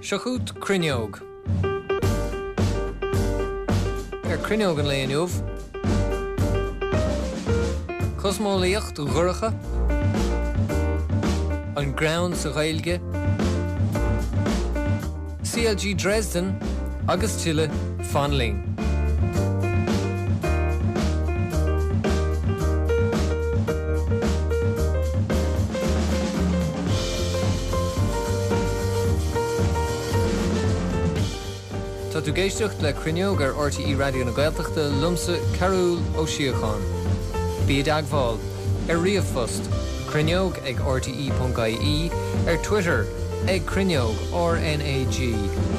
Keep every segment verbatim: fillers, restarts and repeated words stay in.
Seo chugat Cruinneog. Ar Cruinneog an lae inniu. Cosmeolaíocht dhorcha, an greann sa Ghaeilge, CLG Dresden agus tuilleadh fan linn. Tá tú ag éisteacht le Cruinneog ar RTÉ Raidió na Gaeltachta liomsa Cearúll Ó Síocháin. Bí i dteagmháil ar ríomhphost cruinneog ag rte.ie, ar Twitter ag Cruinneog RNAG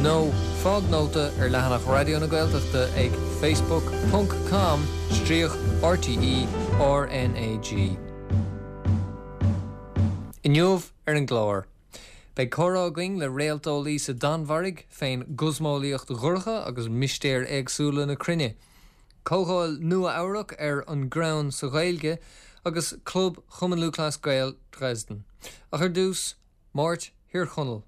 nó fág nóta ar leathanach Raidió na Gaeltachta ag facebook ponc com stríoc RTE RNAG. Inniu ar an gclár. Beidh comhrá againn le réalteolaí sa Danmhairg fén gcosmeolaíocht dhorcha agus mistéir éagsúla na cruinne. Comhdháil Nua-Eabhrac ar an greann sa Ghaeilge agus Club Chumann Lúthchleas Gael Dresden. Ach ar dtús, Máirt Thír Chonaill.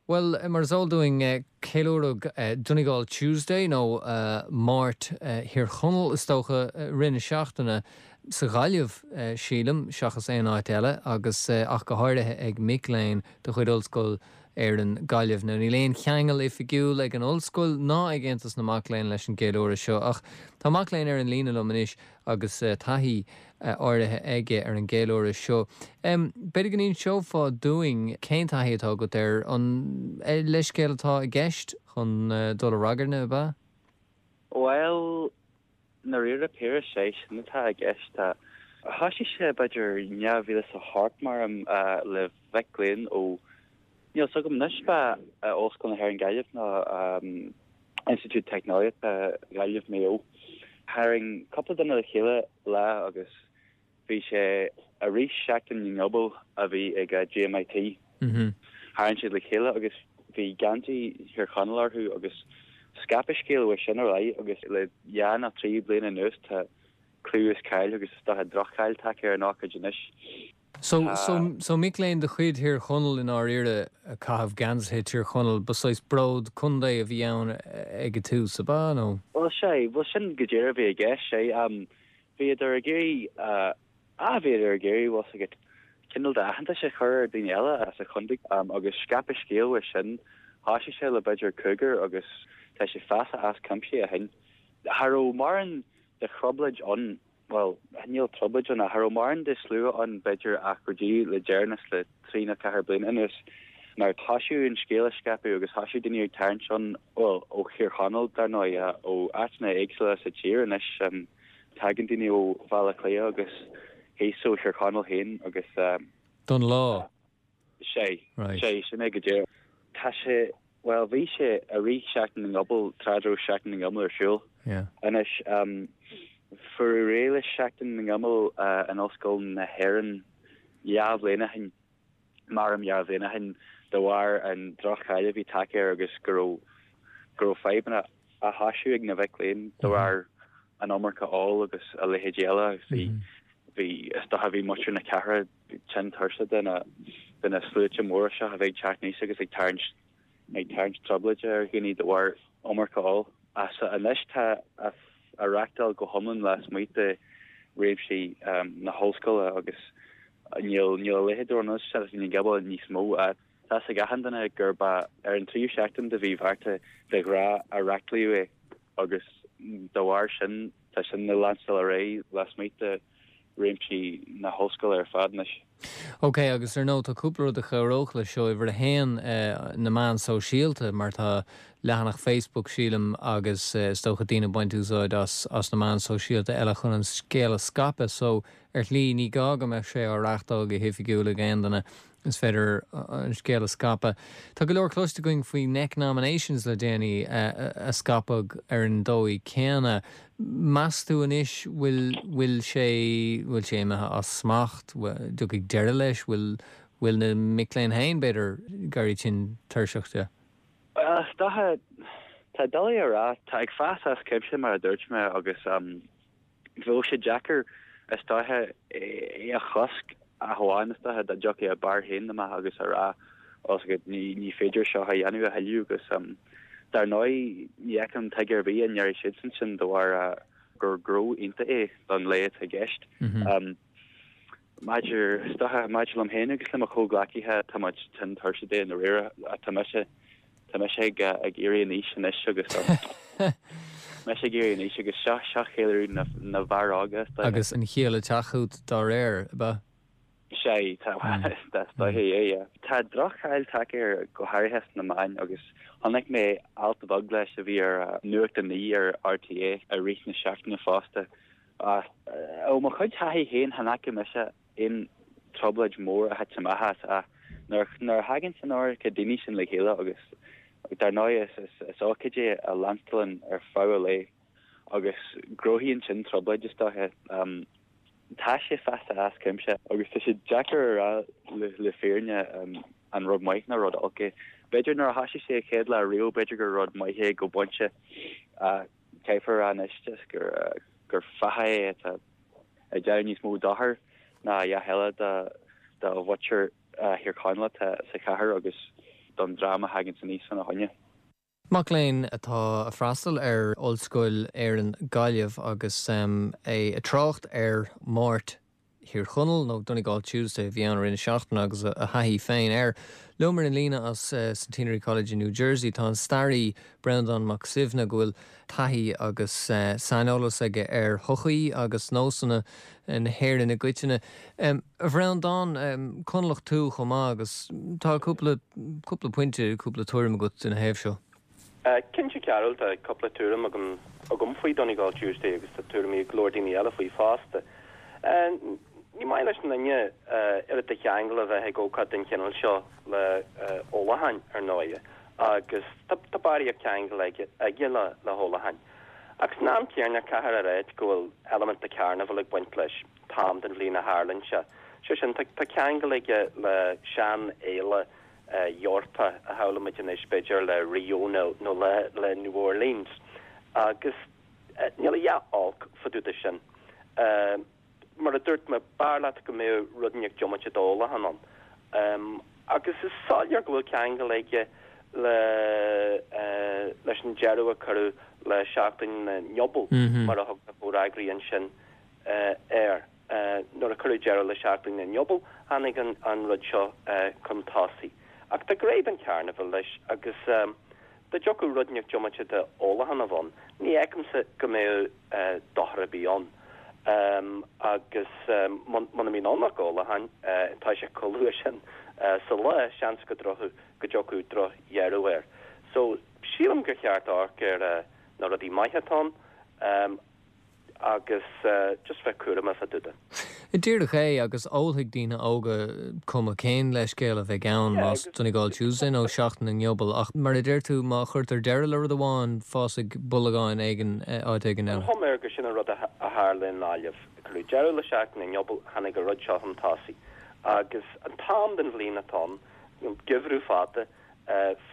Bhuel, mar is eol dúinn, ceiliúradh Donegal Tuesday nó Máirt Thír Chonaill is dócha i rith na seachtaine sa Ghaillimh, sílim, seachas aon áit eile, agus ach go háirithe ag mic léinn de chuid Ollscoil Éireann, Gaillimh. Now níl aon cheangal oifigiúil ag an ollscoil ná ag Aontas na Mac Léinn leis an gceiliúradh seo, ach tá mac léinn ar an líne liom anois agus taithí áirithe aige ar an gceiliúradh seo. B'fhéidir go n-inseofá dúinn cén taithí atá agat air, an leithscéal atá i gceist chun dul i ragairne, ab ea? Bhuel, i ndáiríre píre, sé sin atá i gceist. Tá. Thoisigh sé b'fhéidir dhá mhíle is a hocht maram le mhic léinn ó, níl 's agam anois, ba Ollscoil na hÉireann Gaillimh nó Institiúid Teicneolaíochta Ghaillimh Maigh Eo. Tharraing cúpla duine le chéile lá agus bhí sé i rith Seachtain na nGiobal a bhí ag GMIT. Tharraing siad le chéile agus bhí geansaí Thír Chonaill orthu agus scaip an scéal uaidh sin ar aghaidh agus le dhá nó trí bliana anuas tá clú is cáil agus is dócha droch-cháil tagtha ar an ócáid anois. So, so, so mic léinn de chuid Thír Chonaill i ndáiríre ag caitheamh geansaithe Tír Chonaill, ba saghas bród contae a bhí ann ag an tús, ab ea, nó? Bhuel, sea, bhuel sin go díreach a bhí i gceist, sea. Bhíodar ag iarraidh, ah, bhíodar ag iarraidh, bhfuil 's agat, cineál d'aitheantas a chur ar daoine eile as an chontae agus scaip an scéal uaidh sin. Thoisigh sé le b'fhéidir cúigear agus tá sé fásta as cuimse ó shin. Cha raibh mórán de thrioblóid ann, bhuel, níl trioblóid ann ach cha raibh mórán de slua ann b'fhéidir ach go dtí le deireanas le trí nó ceathair bliana anuas nuair a thoisigh an scéal a scaipeadh agus thoisigh daoine ag tarraingt ann, bhuel, ó Thír Chonaill dar ndóigh, ó áiteanna éagsúla sa tír anois. Tagann daoine ó Bhaile Átha Cliath agus thíos ó Thír Chonaill féin agus. Don lá. Sea. Sea, sin é go díreach. Tá sé, bhuel, bhí sé i rith Sheachtain na nGiobal, tráth a raibh Seachtain na nGiobal ar siúl. Anois, fuaireadh réidh le Seachtain na nGiobal in Ollscoil na hÉireann dhá bhliain ó shin. Maram dhá bhliain ó shin de bharr an droch-cháil a bhí tagtha air agus go raibh go raibh fadhbanna á thoisiú ag na mhic léinn de bharr an iomarca óil agus a leithéidí eile agus bhí bhí is dócha bhí muintir na cathrach tinn tuirseach de na de na sluaite móra seo a bheith ag teacht aníos agus ag tarraingt ag tarraingt trioblóide ar dhaoine de bharr iomarca óil. Ach anois tá á reachtáil go hiomlán lasmuigh de réimsí na hollscoile agus níl níl a leithéid de rud Seachtain na nGiobal níos mó. Tá 's ag achan duine gurb ar an tríú seachtain de mhí Mhárta de ghnáth a reachtálaíodh é agus dá bharr sin tá sin ag leanstáil ar aghaidh lasmuigh de réimsí na hollscoile ar fad anois. Ok, agus ar ndóigh tá cúpla rud a chabhródh leis seo, uimhir a haon, na meáin sóisialta, mar tá leathanach Facebook, sílim, agus is dócha daoine ag baint úsáid as as na meáin sóisialta eile chun an scéal a scaipeadh, so ar shlí ní gá go mbeadh sé á reachtáil go hoifigiúil ag aon duine. Is féidir an scéal a scaipeadh. Tá go leor cloiste againn faoi neknominations le déanaí a scaipeadh ar an dóigh céanna. Meas tú anois bhfuil bhfuil sé bhfuil sé imithe as smacht, dtiocfaidh deireadh leis, bhfuil bhfuil na mic léinn féin b'fhéidir ag éirí tinn tuirseach de? Is dócha, tá doiligh a rá. Tá ag fás as cuimse mar a dúirt mé agus bheadh sé deacair is dócha é a chosc. Ach amháin is dócha dá dtiocfadh a bhfear féin amach agus a rá os go ní ní féidir seo a dhéanamh a thuilleadh agus dar ndóigh ní fheicim tuige ar bith a ndéarfaidh siadsan sin de bharr gur gnó iontach é don lae atá i gceist. Maidir is dócha maidir liom féin agus le mo chomhghleacaithe tá muid tinn tuirseach de i ndáiríre tá mise tá mise ag ag éirí in aois anois agus mise ag éirí in aois agus seo seo ceiliúradh na na bhfear óga is dócha. Agus an chiall ag teacht chugat dá réir, ab ea? Sea, tá is dóiche é, yeah. Tá droch-cháil tagtha air go háirithe sna meáin agus chonaic mé alt beag leis a bhí ar Nuacht a Naoi ar RTÉ i rith na seachtaine fosta. Ach ó mo chuid taithí féin chan fhaca mise aon trioblóid mhór a thit amach as ach nuair nuair a thagann an iomarca daoine sin le chéile agus dar ndóigh is is is ócáid é a leanstalann ar feadh an lae agus cruthaíonn sin trioblóid is dóiche. Tá sé fásta as cuimse agus tá sé deacair a rá le le fírinne an rud maith nó rud olc é. B'fhéidir nuair a thosaigh sé an chéad lá riamh b'fhéidir gur rud maith é go pointe ach caithfear a rá anois just gur gur fathach é atá ag déanamh níos mó dochair ná a dhath eile do do mhuintir Thír Chonaill atá sa chathair agus don dream a thagann aníos ina choinne. Mac léinn atá ag freastal ar Ollscoil Éireann Gaillimh agus é ag trácht ar Mháirt Thír Chonaill nó Donegal Tuesday a bhí ann i rith na seachtaine agus a thaithí féin air. Liom ar an líne as Centenary College in New Jersey tá an staraí Breandán Mac Suibhne go bhfuil taithí agus saineolas aige ar shochaí agus nósanna na hÉireann i gcoitinne. A Bhreandáin, Conallach tú chomh maith agus tá cúpla cúpla pointe, cúpla tuairim agat ina thaobh seo. Cinnte Cearbhall, tá cúpla tuairim agam agam faoi Donegal Tuesday agus tá tuairimí ag go leor daoine eile faoi fosta. Ní maith leis an duine oiread de cheangal a bheith ag ócáid den chineál seo le ólacháin, ar ndóighe, agus tá barraíocht ceangal aige le le hólacháin. Ach san am céanna caithfear a ráit go bhfuil eilimint de carnival ag baint leis, t-am den bhliain a tharlaíonn sé. Sé sin, tá ceangal aige le seanfhéile Eorpach a shamhlaímid anois, b'fhéidir, le Rio nó le le New Orleans. Agus níl a dhath olc fá dtaobh de sin. Mar a dúirt mé, b'fhearr leat go mbeadh rud inteacht diomaite d'ólachán ann. Agus is soiléir go bhfuil ceangal aige le leis an deireadh a cuireadh le Seachtain na nGiobal, mar a thug na comhfhreagraí ansin air. Nuair a cuireadh deireadh le Seachtain na nGiobal, tháinig an rud seo chun tosaigh. Ach tá gné den charnival leis agus dá dtiocfadh rud inteacht diomaite de ólachán a bheith ann, ní fheicimse go mbeadh dochar ar bith ann. Agus muna mbíonn ann ach ólachán, tá sé chomh luath sin sa lá, seans go go dtiocfadh drochdheireadh air. So, sílim gur cheart amharc ar na rudaí maithe atá ann. agus just bheith cúramach fá dtaobh de. Díreach é, agus ólfaidh daoine óga cuma cén leithscéal a bheidh ann, más Donegal Tuesday nó Seachtain na nGiobal, ach mar a deir tú, má chuirtear deireadh le rud amháin, fásfaidh bolgán éigin áit éigin eile. An chuma air gur sin an rud a tharla i nGaillimh. Cuireadh deireadh le Seachtain na nGiobal, tháinig an rud seo chun tosaigh. Agus an t-am den bhliain atá ann, geimhreadh fada,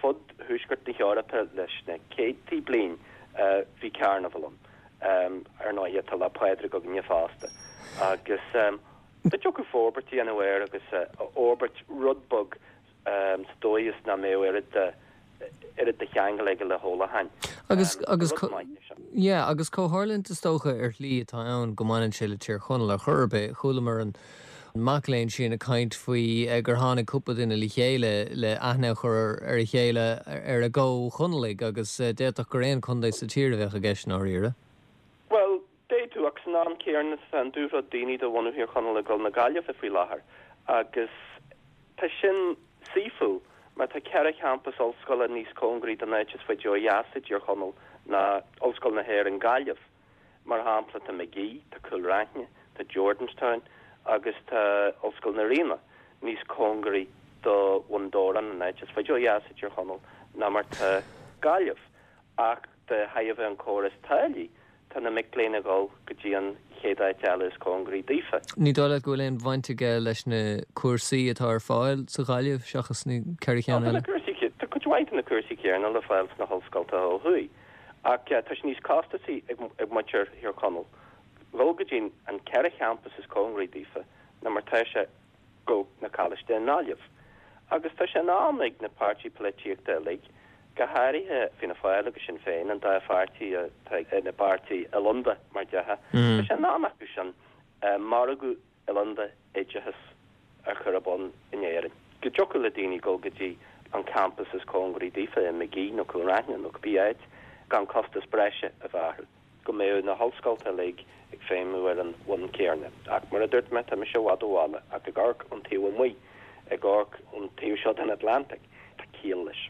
fud thuaisceart na hEorpa leis na céadtaí bliain, bhí carnival ann. Ar ndóighe, tá Lá Pádraig againne fosta. Agus dá dtiocfadh forbairt a dhéanamh air agus a fhorbairt rud beag sa dóigh is nach mbeadh oiread de oiread de cheangal aige le hólacháin. Agus, agus, Rud maith é sin. yeah, agus comhtharlúint is dócha ar shlí atá ann go mbaineann sé le Tír Chonaill ar chor ar bith. Chualamar an mac léinn sin ag caint faoi gur tháinig cúpla duine le chéile le aithne a chur ar a chéile ar a gcomh-Chonallaigh agus d'fhéadfadh gur aon chontae sa tír a bheadh i gceist i ndáiríre. Bhuel, d'fhéadfadh, ach san am céanna tá an dúshlán daoine de bhunadh Thír Chonaill ag dul na Gaillimhe faoi láthair agus tá sin saoithiúil mar tá ceithre champas ollscoile níos cóngaraí don áit is faide ó dheas i dTír Chonaill ná Ollscoil na hÉireann Gaillimh. Mar shampla, tá Magee, tá Cúil Raithne, tá Jordanstown agus tá Ollscoil na Ríona níos cóngaraí do Bhun Dobhráin, an áit is faide ó dheas i dTír Chonaill, ná mar tá Gaillimh. Ach de thairbhe an córas táillí, tá na mic léinn ag dul go dtí an chéad áit eile is cóngaraí daofa. Ní dóigh leat go bhfuil aon bhaint aige leis na cúrsaí atá ar fáil sa Ghaillimh seachas na ceithre cheann eile? Tá cuid mhaith de na cúrsaí céanna le fáil sna hollscoltacha ó thuaidh. Ach tá sé níos costasaí ag muintir Thír Chonaill dhul go dtí an ceithre champas is cóngaraí daofa ná mar tá sé go na coláiste i nGaillimh. Agus tá sé in am ag na páirtí polaitíochta uilig, go háirithe Fianna Fáil agus Sinn Féin, an dá pháirtí atá ina bpáirtí oileánda mar dhea, tá sé in am acu sin margadh oileánda oideachais a chur ar bun in Éirinn. Go dtiocfadh le daoine dul go dtí an campas is cóngaraí daofa i Magee nó Cúil Raithin nó cibé áit gan costas breise a bheith orthu. Go mbeadh na hollscoileanna uilig ag feidhmiú ar an bhonn céanna. Ach mar a dúirt mé, tá mise i bhfad ó bhaile, ach ag amharc ón taobh amuigh, ag amharc ón taobh seo den Atlantic, tá ciall leis.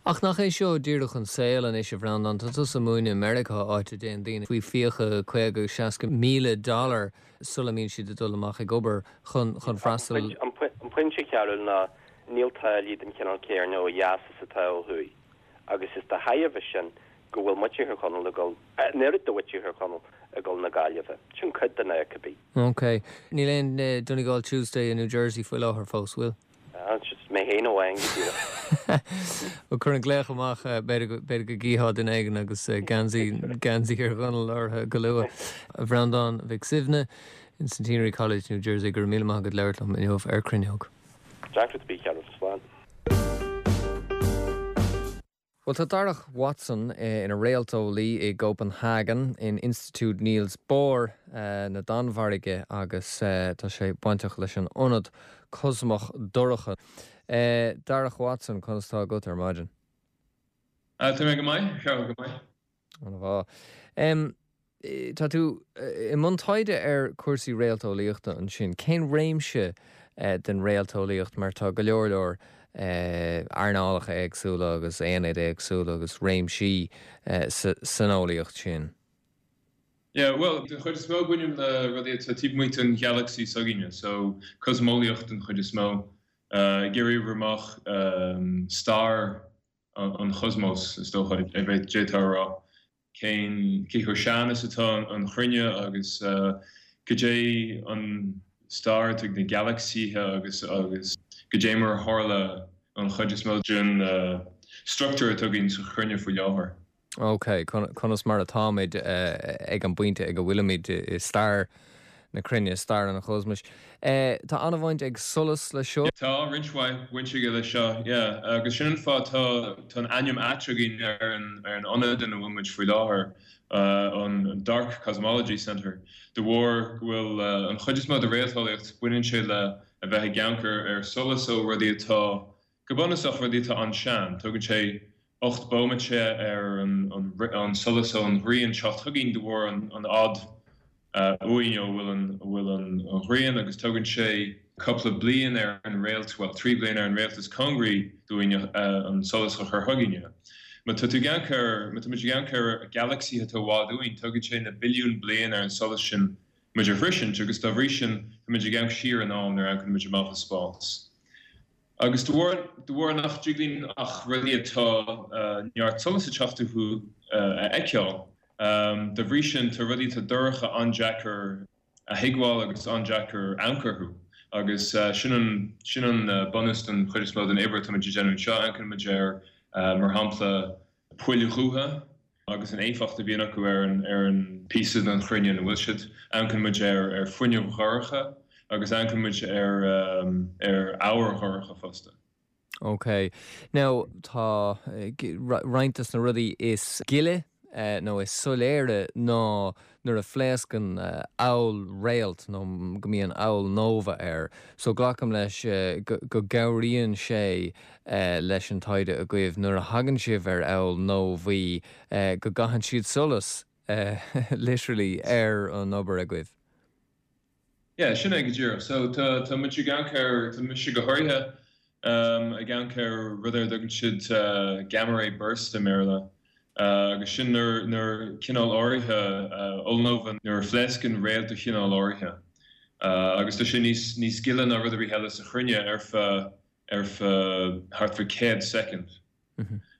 Ach nach é seo díreach an saol anois a Bhreandáin, tá tusa ag múineadh i Meiriceá áit a dtéann daoine faoi fiacha caoga seasca míle dollar sula mbíonn siad ag dul amach ag obair chun chun freastal. An pointe cearúil ná níl táillí den chineál céanna ó dheas is atá ó thuaidh. Agus is de thairbhe sin go bhfuil muintir Thír Chonaill ag dul, an oiread de mhuintir Thír Chonaill ag dul na Gaillimhe. Sin cuid den fhadhb. Ok. Níl aon Donegal Tuesday i New Jersey faoi láthair fós, bhfuil? Mé féin amháin go díreach. Ó cuir an glaoch amach b'fhéidir go gcífeá duine éigin agus geansaí geansaí Thír Chonaill orthu go luath. A Bhreandáin Mhic Suibhne in Centenary College, New Jersey, go raibh míle maith agat labhairt liom inniu ar Cruinneog. Deacra bí ceann slán. Well tá Darach Watson ina réalteolaí i gCopenhagen in Institiúid Niels Bohr na Danmhairge agus tá sé bainteach leis an ionad cosmach dorcha. Darach Watson conas tá agat ar maidin. Tá mé go maith go maith. An bhá. Tá tú i mbun taighde ar cúrsaí réalteolaíochta ansin, cén réimse den réalteolaíocht mar tá go leor leor earnálacha éagsúla agus aonaid éagsúla agus réimsí san eolaíocht sin. Yeah, well, den chuid is mó bainim le rudaí atá taobh amuigh den ghalaxy s'againne, so cosmeolaíocht den chuid is mó. Ag iarraidh oibriú amach stair an chosmos is dócha a bheith d'fhéadfá a rá. Cén cé chomh sean is atá an chruinne agus goidé an stair atá ag na galaxythe agus agus goidé mar a tharla an chuid is mó den struchtúr atá againn sa chruinne faoi láthair. Ok, conas mar atáimid ag an bpointe ag a bhfuilimid i stair na cruinne, stair an chosmais. Tá an-bhaint ag solas le seo? Tá roinnt mhaith baint aige le seo, yeah. Agus sin an fáth tá tá an ainm ait againn ar an ar an ionad ina bhfuil muid faoi láthair, an Dark Cosmology Centre, de bharr go bhfuil an chuid is mó de réalteolaíocht baineann sé le a bheith ag amharc ar solas ó rudaí atá go bunúsach rudaí atá an-sean. Tógann sé ocht bomaite ar an an solas ón ghrian teacht chugainn de bharr an an fhad uainn ó bhfuil an bhfuil an ghrian agus tógann sé cúpla bliain ar an réalt, well trí bliana ar an réalt is cóngaraí dúinn an solas a chur chugainne. Má tá tú ag amharc ar má tá muid ag amharc ar galaxy atá i bhfad uainn, tógann sé na billiún bliain ar an solas sin muid a shroisint agus dá bhrí sin tá muid ag amharc siar in am nuair a amharcann muid amach i spás. Agus de bharr de bharr nach dtig linn ach rudaí atá neart solas ag teacht uathu a fheiceáil, dá bhrí sin tá rudaí atá dorcha an-deacair a thuigbheáil agus an-deacair amharc orthu. Agus sin an sin an bunús den chuid is mó den obair atá muid ag déanamh anseo, amharcann muid ar mar shampla poill dhubha agus an éifeacht a bhíonn acu ar an ar an píosa den chruinne ina bhfuil siad, amharcann muid ar ar fuinneamh dhorcha agus amharcann muid ar ar ábhar dhorcha fosta. Ok. Now tá roinnt de na rudaí is gile nó is soiléire ná nuair a phléascann ollréalt nó go mbíonn ollnova air. So glacaim leis go gcabhraíonn sé leis an taighde agaibh nuair a thagann sibh ar ollnovaí go gcaitheann siad solas literally ar an obair agaibh. Yeah, sin é go díreach. So tá tá muid ag amharc ar tá mise go háirithe ag amharc ar rud ar a dtugann siad gamma ray burst i mBéarla. Agus sin nuair nuair cineál áirithe ollnova nuair a phléascann réalt de chineál áirithe. Agus tá sé níos níos gile ná rud ar bith eile sa chruinne ar feadh ar feadh thart fá céad soicind.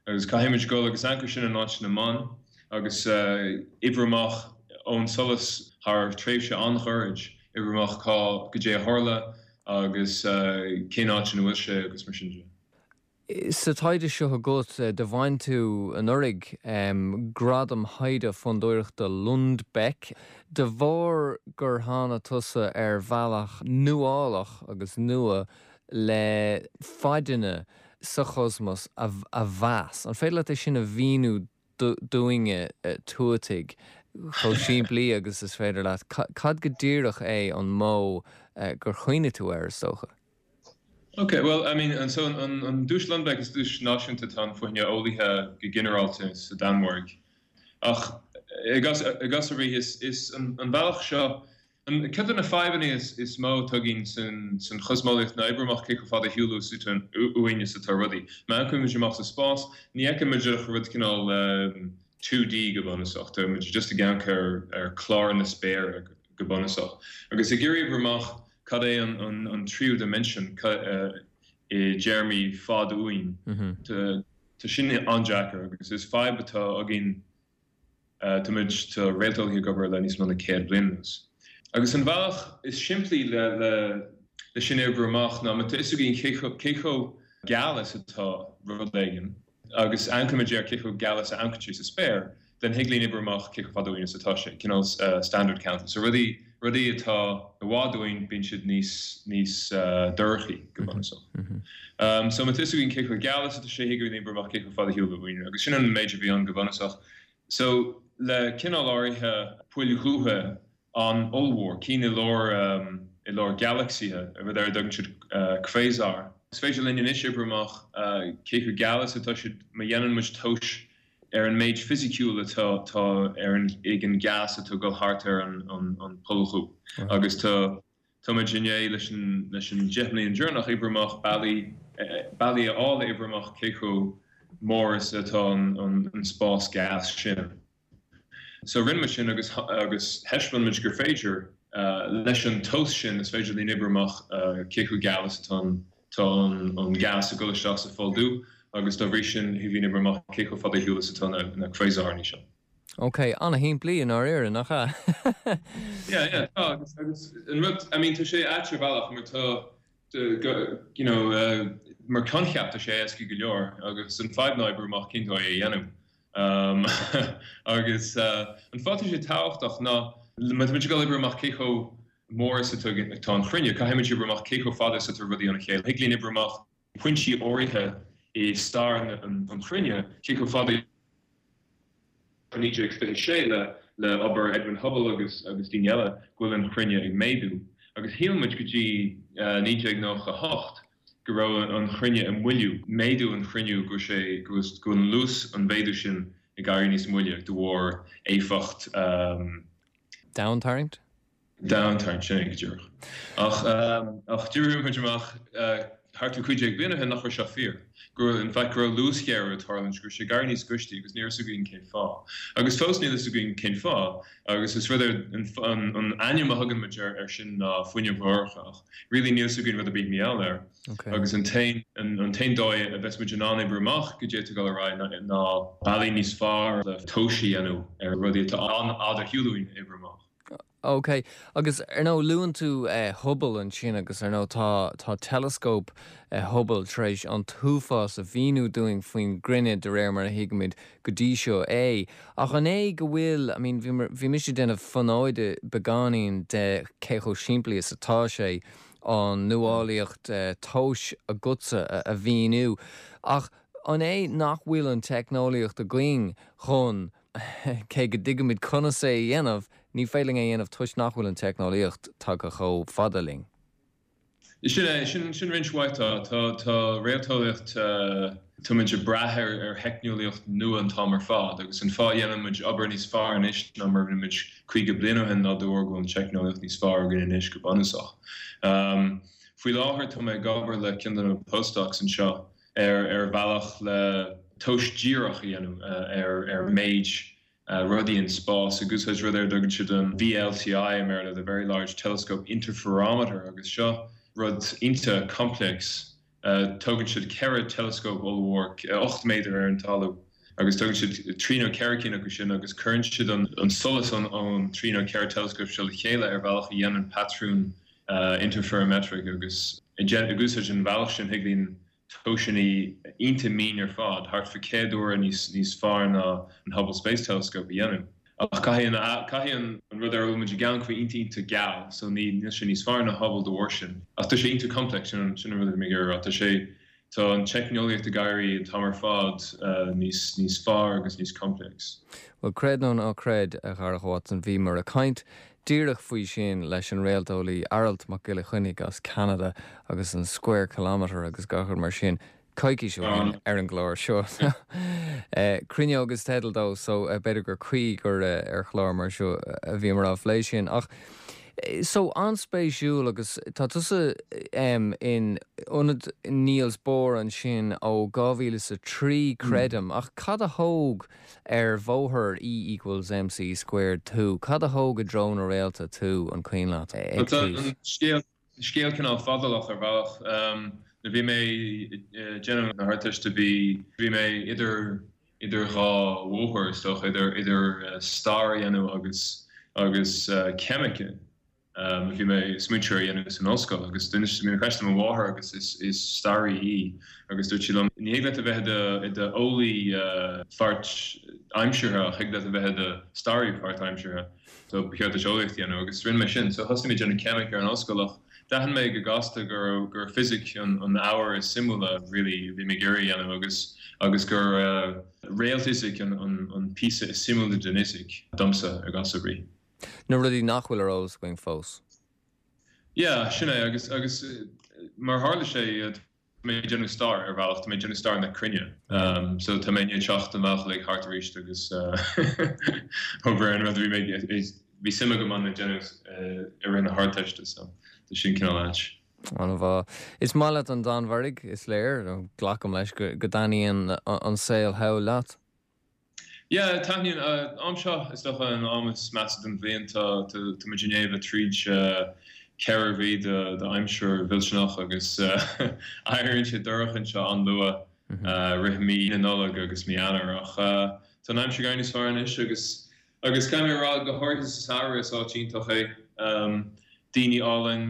Agus caithfimid dul agus amharc air sin in áit na mban agus oibriú amach ón solas thar tréimhse an-ghairid, oibriú amach cá goidé a tharla agus cén áit ina bhfuil sé agus mar sin de. Sa taighde seo agat do bhain tú anuraidh um, gradam taighde fondúireachta Lundbeck, de bharr gur tháinig tusa ar bhealach nuálach agus nua le faideanna sa chosmos a, a mheas. An féidir leat é sin a mhíniú dúinne tuataigh chomh simplí agus is féidir leat. Cad go díreach é an modh gur chuimhnigh tú air is dócha? Ok, well, I mean, an so an, an duais Lundbeck is duais náisiúnta atá ann fá choinne eolaithe go ginearálta sa Danmhairg. Ach i gcás i gcás ar bith is, is an, an bealach seo an ceann de na fadhbanna is, is mó atá againn san, san chosmeolaíocht ná oibriú amach cé chomh fada ar shiúl uainn is atá rudaí. Má amharcann muid amach sa spás, ní fheiceann muid ach rud cineál um, two D go bunúsach, tá muid just ag amharc ar, ar chlár na spéire go bunúsach. Agus ag iarraidh oibriú amach cad é an, an, an tríú dimension uh, i dtéarmaí fad uainn. Tá tá sin an-deacair agus is fadhb atá againn uh, tá muid tá réalteolaithe ag obair le níos mó ná céad bliain anuas. Agus an bhealach is simplí le le le sin oibriú amach ná má tá fhios againn cé chomh cé chomh geal is atá rud éigin agus amharcann muid ar cé chomh geal is a amharcann sé sa spéir, then thig linn oibriú amach cé chomh fada uainn is atá sé, cineál uh, standard candle. So rudaí rudaí atá i bhfad uainn bíonn siad níos níos uh, dorchaí go bunúsach. Um, so má tá fhios againn cé chomh geal is atá sé thig linn oibriú amach cé chomh fada ar shiúl uainn, agus sin an méid a bhí ann go bunúsach. So le cineál áirithe poill dhubha an ollmhór, cinn i lár um, i lár galaxy-ithe, rud ar a dtugann siad uh, quasar. Is féidir linn anois oibriú amach uh, cé chomh geal is atá siad má dhéanann muid tomhas ar an méid fisiciúil atá tá ar an ag an gas atá ag dul thart ar an, an, an poll dhubh. Agus tá tá muid i ndiaidh leis an leis an deich mbliana deireanach oibriú amach bealaí bealaí a fháil oibriú amach cé chomh mór is atá an, an, an spás gas sin. So rinne muid sin agus agus thaispeáin muid gur féidir uh, leis an tomhas sin is féidir linn oibriú amach uh, cé chomh geal is atá an tá an, an gas ag dul isteach sa pholl dubh agus dá bhrí sin thig linn oibriú amach cé chomh fada ar shiúl is atá na, na quasarnaí seo. Ok, an-shimplí i ndáiríre nach ea? Yeah, yeah, tá agus agus an rud I mean tá sé ait ar bhealach mar tá you know, uh, mar coincheap tá sé éasca go leor agus an fadhb ná oibriú amach cén dóigh é a dhéanamh. Um, agus uh, an fáth sé tábhachtach ná má tá muid ag oibriú amach cé chomh mór is atá tá an chruinne, caithfidh muid oibriú amach cé chomh fada is atá rudaí óna chéile. Thig linn oibriú amach pointí áirithe i stair an, an chruinne, cé chomh fada naoi déag fiche sé le le obair Edwin Hubble agus agus daoine eile go bhfuil an chruinne ag méadú. Agus shíl muid go dtí uh, naoi déag nócha hocht go raibh an chruinne ag moilliú, méadú an chruinne go sé go go an luas an mhéadú sin ag éirí níos moille de bharr éifeacht um, Domhantarraingt? Domhantarraingt sin go díreach. Ach um, ach d'oibrigh muid amach uh, thart ar cúig déag bliain ó shin nach raibh seo fíor. Go in fact go raibh luasghéarú ag tarlúint go raibh sé ag éirí níos gaiste agus ní raibh fhios againn cén fáth. Agus fós níl fhios againn cén fáth, agus is rud an, an, an ainm a thugann muid ar, ar sin ná fuinneamh dhorcha ach really níl fhios againn rud ar bith mar gheall air. Okay. Agus an t-aon an, an t-aon dóigh a bheas muid in ann oibriú amach goidé atá ag dul ar aghaidh ná, ná bealaí níos fearr le tomhais a dhéanamh ar rudaí atá an-fhada ar shiúl uainn oibriú amach. Ok, agus ar ndóigh luann tú eh, Hubble ansin agus ar ndóigh tá tá teileascóp eh, Hubble tar éis an t-uafás a mhíniú dúinn faoin gcruinne de réir mar a thuigimid go dtí seo é. Ach an é go bhfuil I mean, bhí bhí mise déanamh fonóide beagáinín de cé chomh simplí is atá sé an nuálaíocht eh, tomhais agatsa a, a mhíniú. Ach an é nach bhfuil an teicneolaíocht againn chun cé go dtuigimid conas é a dhéanamh, ní féidir linn é a dhéanamh toisc nach bhfuil an teicneolaíocht tagtha chomh fada linn. Sin é sin sin roinnt mhaith tá tá tá réalteolaíocht uh, tá muid ag brath ar ar theicneolaíocht nua an t-am ar fad agus an fáth a dhéanann muid obair níos fearr anois ná mar a rinne muid caoga bliain ó shin ná de bharr go bhfuil an teicneolaíocht níos fearr againn anois go bunúsach. Um, faoi láthair tá mé ag obair le ceann de na postdocs anseo ar ar bhealach le tomhas díreach a dhéanamh uh, ar ar méid uh, rudaí in spás agus úsáid rud ar a dtugann siad an V L T I i mBéarla, the Very Large Telescope Interferometer agus seo rud iontach complex. Uh, tógann siad ceithre teileascóp ollmhór ocht méadar ar an talamh agus tógann siad trí nó ceithre cinn acu sin agus cuireann siad an, an solas an an trí nó ceithre teileascóp seo le chéile ar bhealach a dhéanann patrún uh, interferometric agus ag úsáid an bhealach sin thig linn tomhaiseanna iontach mín ar fad, thart fá céad uair níos níos fearr ná an Hubble Space Telescope a dhéanamh. Ach caithfidh an caithfidh an an rud ar a bhfuil muid ag amharc bheith iontach iontach geal, so ní níl sé níos fearr ná Hubble de bharr sin. Ach tá sé iontach complex, sin an sin an rud a bhí mé ag iarraidh a rá. Tá sé tá an teicneolaíocht ag éirí an t-am ar fad níos níos fearr agus níos complex. Bhuel, creid nó ná creid, a Dharach Watson, bhíomar ag caint díreach faoi sin leis an réalteolaí Aralt Mac Giolla Chainnigh as Ceanada agus an Square Kilometre agus gach rud mar sin coicís ó shin ar an gclár seo. Cruinneog is teideal dó so b'fhéidir gur cuí gur ar chlár mar seo a bhíomar á phlé sin. Ach so an-spéisiúil agus tá tusa in ionad Niels Bohr ansin ó dhá mhíle is a trí creidim, ach cad a thóg ar bhóthar E equals MC squared tú? Cad a thóg i dtreo na réalta tú an cuimhin leat ag Tá tús? an scéal scéal cineál fadálach ar bhealach. Nuair bhí mé ag déanamh na hArdteiste bhí bhí mé idir idir dhá bhóthar is dócha, idir idir stair a dhéanamh agus agus ceimice. Bhí mé ag smaointiú ar a dhéanamh san ollscoil agus d'inis mé an cheist do mo mháthair agus is is staraí í agus dúirt sí liom ní thig leat a bheith i do eolaí páirtaimseartha ach thig leat a bheith i do staraí páirtaimseartha so ba cheart duit eolaíocht a dhéanamh agus rinne mé sin. So thosaigh mé ag déanamh ceimic ar an ollscoil ach d'aithin mé go gasta gur gur fisic an an ábhar is suimiúla really a bhí mé ag iarraidh a dhéanamh agus agus gur réaltfhisic an an an píosa is suimiúla den fhisic domsa ar gach brí. Na rudaí nach bhfuil ar eolas againn fós. Yeah, sin é agus agus mar tharla sé tá mé ag déanamh stair ar bhealach, tá mé ag déanamh stair na cruinne. Um, so tá mé ag teacht an bhealach like thart arís agus obair an rud a bhí mé bhí suim agam ann ag déanamh i rith na hArdteiste so tá sin cineál ait. An-mhaith. Is maith leat an Danmhairg, is léir, glacaim leis go go dtaitníonn an saol thall leat. Yeah, taitníonn am seo is dócha an am is measa den bhliain tá tá muid i ndiaidh bheith tríd ceithre mhí de d'aimsir mhillteanach agus éiríonn sé dorcha anseo an-luath rith mí na Nollag agus mí Eanáir ach tá an aimsir ag éirí níos fearr anois agus agus caithfidh mé a rá go háirithe sa samhradh is áit iontach é. Daoine álainn,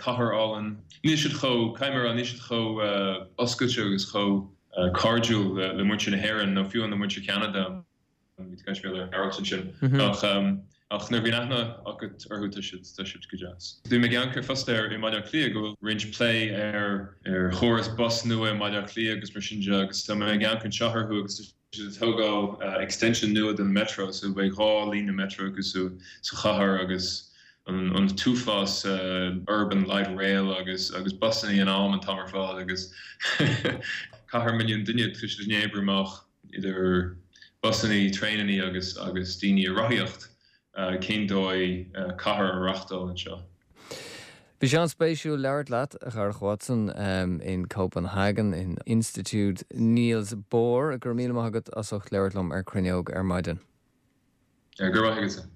cathair álainn. Níl siad chomh, caithfidh mé a rá, níl siad chomh oscailte agus chomh cairdiúil le muintir na hÉireann nó fiú le muintir Cheanada. Bhí tú ag caint le Aralt ansin. Ach ach nuair a bhíonn aithne agat orthu tá siad tá siad go deas. Bhí mé ag amharc ar phostaer i mBaile Átha Cliath go bhfuil roinnt plé ar ar chóras bus nua i mBaile Átha Cliath agus mar sin de agus tá mé ag amharc anseo orthu agus tá siad ag tógáil extension nua den metro so beidh dhá líne metro acu sa chathair agus an an t-uafás urban light rail agus agus busanna in am an t-am ar fad agus cathair milliún duine tá siad ag oibriú amach idir busanna, traenanna agus agus daoine ag rothaíocht cén dóigh cathair a reáchtáil anseo. Bhí sé an-spéisiúil labhairt leat, a Dharach Watson, in Copenhagen in Institiúid Niels Bohr. Go raibh míle maith agat as ucht labhairt liom ar Cruinneog ar maidin. Go raibh maith agatsa.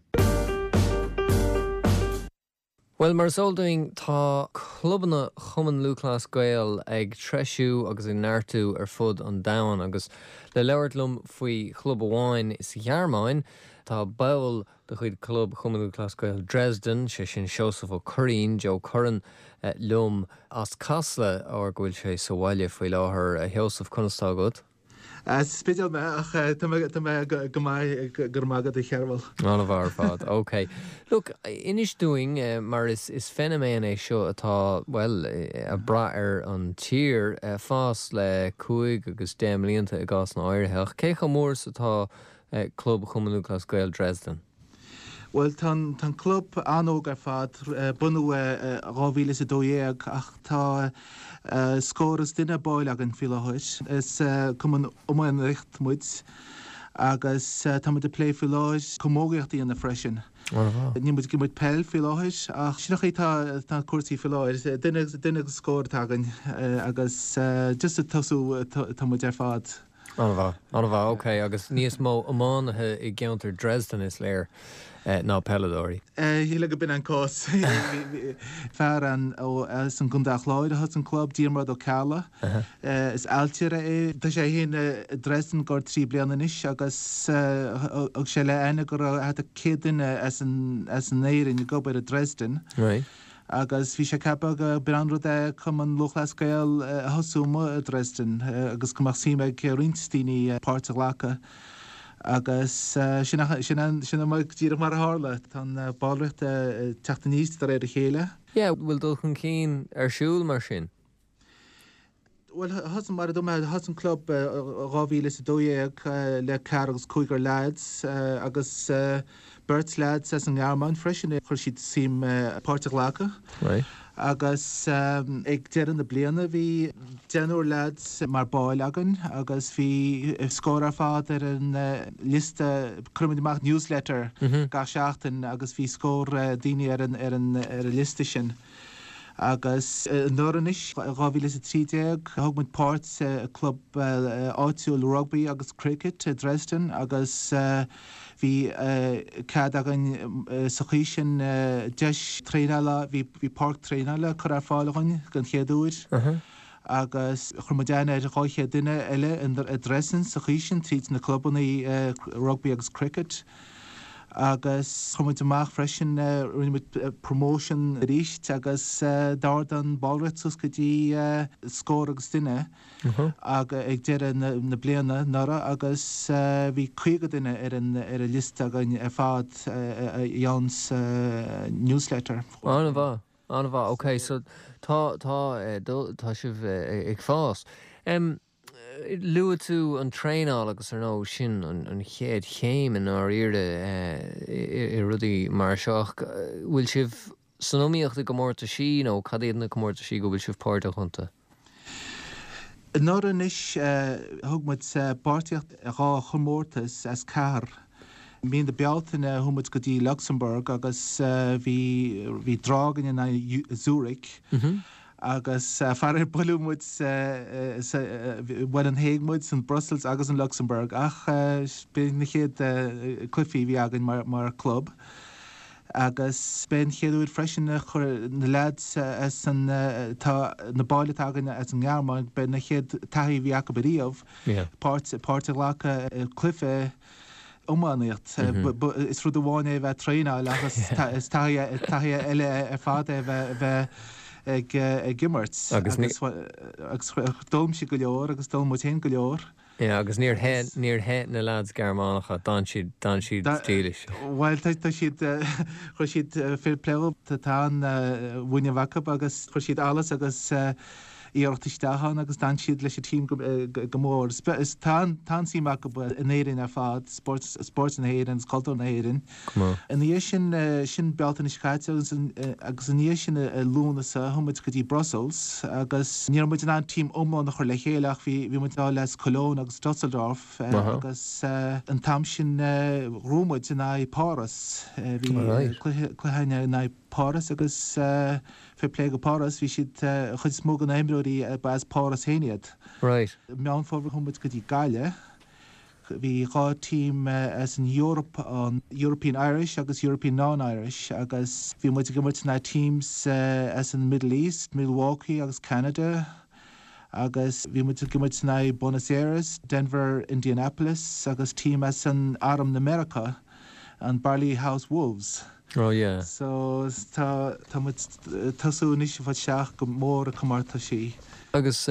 Bhuel, mar is eol dúinn, tá clubanna Chumann Lúthchleas Gael ag treisiú agus ag neartú ar fud an domhain agus le labhairt liom faoi chlub amháin sa Ghearmáin, tá ball de chuid Chlub Chumann Lúthchleas Gael Dresden, sé sin Seosamh Ó Curraoin, Joe Curran, liom as Casla, óir go bhfuil sé sa bhaile faoi láthair. A Sheosaimh, conas tá agat? As Spidéal mé ach tá mé tá mé go maith go raibh maith agat a Chearbhaill. An-mhaith ar fad. Ok. Look, inis dúinn mar is is feiniméan é seo atá, bhuel, ag brath ar an tír fás le cúig agus deich mblianta i gcásanna áirithe ach cé chomh mór is atá Club Chumann Lúthchleas Gael Dresden? Bhuel tá an club an-óg ar fad, bunaithe dhá mhíle is a dó dhéag ach tá scór is duine baill againn faoi láthair. Is cumann iománaíocht muid agus tá muid ag plé faoi láthair camógaíocht a dhéanamh freisin. Níl muid ag imirt peil faoi láthair ach sin an chaoi atá tá cúrsaí faoi láthair. Duine duine agus scór atá againn agus just ag tosú tá muid ar fad. An-mhaith, an-mhaith, ok, agus níos mó iománaithe i gceantar Dresden is léir ná peileadóirí. Shílfeá go b'in an cás. Fear an ó as an gContae Chláir a thosaigh an club, Diarmuid Ó Ceallaigh. Is ailtire é. Tá sé féin i Dresden gar trí bliana anois agus thug sé le aithne go raibh thart ar céad duine as an as an Éirinn ag obair i Dresden. Right. Agus bhí sé ceaptha go b'in an rud é Cumann Lúthchleas Gael a thosú amuigh i Dresden agus go mbeadh suim ag roinnt daoine páirt a ghlacadh. Agus sin sin sin an díreach mar a tharla. Tá an ballraíocht ag teacht aníos de réir a chéile. Yeah, bhfuil dul chun cinn ar siúl mar sin? Bhuel, thosaigh mar a dúirt mé, thosaigh an club dhá mhíle is a dó dhéag le ceathrar agus cúigear leaids agus beirt leaids as an nGearmáin freisin, chuir siad suim páirt a ghlacadh. Right. Agus ag deireadh na bliana bhí deichniúr leaids mar baill againn agus bhí scór ar fad ar an liosta, cuirimid amach newsletter gach seachtain agus bhí scór daoine ar an ar an ar an liosta sin. Agus anuraidh anois, dhá mhíle is a trí déag, thug muid páirt i club áitiúil rugbaí agus cricket i Dresden agus bhí cead againn sa chaoi sin deis traenála, bhí bhí páirc traenála curtha ar fáil againn den chéad uair agus chuir muid aithne ar dhá chéad duine eile i Dresden sa chaoi sin tríd na clubanna rugbaí agus cricket. Agus chuir muid amach freisin, rinne muid promotion arís agus d'ardaigh an ballraíocht suas go dtí scór agus duine ag deireadh na bliana anuraidh agus bhí caoga duine ar an ar an liosta againn ar fad a gheobhann newsletter. An-mhaith, an-mhaith. Ok, so tá tá tá sibh ag fás. Luaigh tú an traenáil agus ar ndóigh sin an chéad chéim i ndáiríre i rudaí mar seo. Ach bhfuil sibh san iomaíocht i gcomórtaisí nó cad iad na comórtaisí go bhfuil sibh páirteach iontu? Anuraidh anois thug muid páirtíocht i dhá chomórtas as ceathair. Mí na Bealtaine chuaigh muid go dtí Luxembourg agus bhí bhí draw againn in aghaidh Zurich. Agus faraor buaileadh muid bhuail an Hague muid san Brussels agus in Luxembourg ach b'in na chéad cluichí a bhí againn mar mar club. Agus b'é an chéad uair freisin a chuir na leaids as an tá na baill atá againn as an nGearmáin, b'é na chéad taithí a bhí acu ariamh páirt páirt a ghlacadh i cluiche iománaíocht. Is rud amháin é a bheith ag traenáil ach is taithí eile ar fad é a bheith ag ag imirt. Agus agus d'fhoghlaim siad go leor agus d'fhoghlaim muid féin go leor. Yeah, agus níor theith níor theith na lads Gearmánacha, d'fhan siad d'fhan siad dílis. Bhuel tá tá siad chuir siad fair play tá an-mhuinín acu agus chuir siad allas agus iarracht isteach ann agus d'fhan siad leis an team go mór. Tá tá an-suim acu in Éirinn ar fad, spórt spórt na hÉireann agus cultúr na hÉireann. Ina dhiaidh sin, sin Bealtaine seo caite agus agus ina dhiaidh sin i Lúnasa chuaigh muid go dtí Brussels agus ní raibh muid in ann team iomlán a chur le chéile ach bhí bhí muid le as Cologne agus Dusseldorf agus an t-am sin ghnóthaigh muid in aghaidh Páras. Bhí cluiche cluiche in aghaidh Páras agus fair play go Páras, bhí siad, an chuid is mó de na himreoirí ba as Páras féin iad. Right. Meán Fómhair chuaigh muid go dtí Gaillimh. Bhí dhá team as an Eoraip ann, European Irish agus European Non-Irish agus bhí muid ag imirt na teams as an Middle East, Milwaukee agus Canada agus bhí muid ag imirt in aghaidh Buenos Aires, Denver, Indianapolis agus team as an Arm na Meiriceá, an Barley House Wolves. Oh yeah. So tá tá muid tosú anois ag fáil isteach go mór i comórtaisí. Agus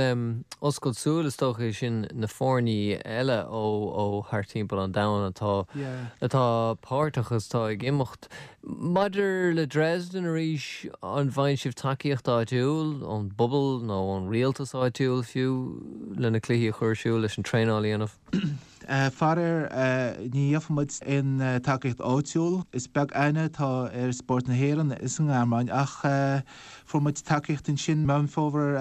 oscailt súl is dócha é sin na foirní eile ó ó thart timpeall an domhain atá Yeah. atá páirteach agus atá ag imeacht. Maidir le Dresden arís, an bhfaigheann sibh tacaíocht áitiúil ón bpobal nó ón rialtas áitiúil fiú le na cluichí a chur ar siúl leis an traenáil a dhéanamh? Faraor, ní gheobhann muid aon tacaíocht áitiúil. Is beag aithne atá ar spórt na hÉireann is an nGearmáin ach fuair muid tacaíocht ansin Meán Fómhair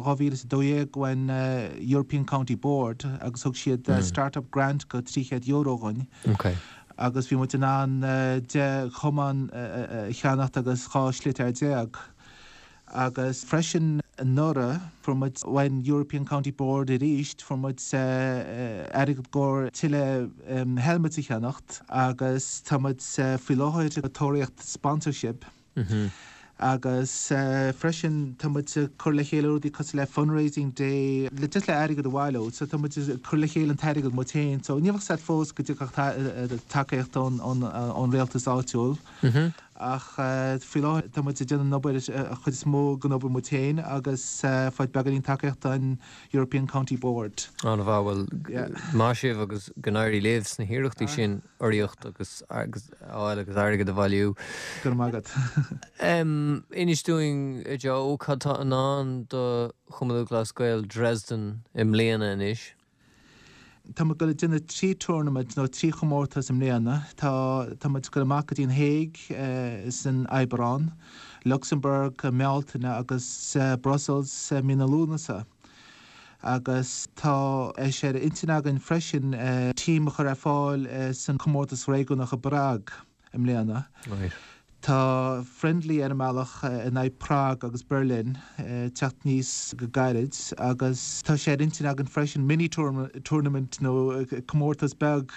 dhá mhíle is a dó dhéag ón European County Board agus thug siad start-up grant go trí chéad euro dhúinn agus bhí muid in ann deich chamán a cheannacht agus dhá sliotar déag. Agus freisin anuraidh, fuair muid ón European County Board arís, fuair muid airgead i gcomhair tuilleadh helmets a cheannacht agus tá muid faoi láthair ag tóraíocht sponsorship. Agus freisin tá muid ag cur le chéile rudaí cosúil le fundraising day le just le airgead a bhailiú. So tá muid ag cur le chéile an t-airgead muid féin. So ní bheadh fhios agat fós go dtiocfadh tacaíocht ón rialtas áitiúil. Ach faoi láthair tá muid ag déanamh an obair an chuid is mó den obair muid féin agus fáil beagáinín tacaíocht an European County Board. An-mhaith, bhuel, maith sibh agus go n-éirí libh sna hiarrachtaí sin urraíocht agus agus fháil agus airgead a bhailiú. Go raibh maith agat. Inis dúinn, a Joe, cad tá i ndán do Chumann Lúthchleas Gael Dresden i mbliana anois? Tá muid ag dul ag déanamh trí tournament nó trí chomórtas i mbliana. Tá tá muid ag dul amach go dtí an Hague san Aibreán, Luxembourg i mBealtaine agus Brussels mí na Lúnasa. Agus tá sé ar intinn againn freisin team a chur ar fáil san comórtas réigiúnach i bPrág i mbliana. Right. Tá friendly ar an mbealach in aghaidh Prague agus Berlin teacht aníos go gairid agus tá sé ar intinn againn freisin mini tournament nó comórtas beag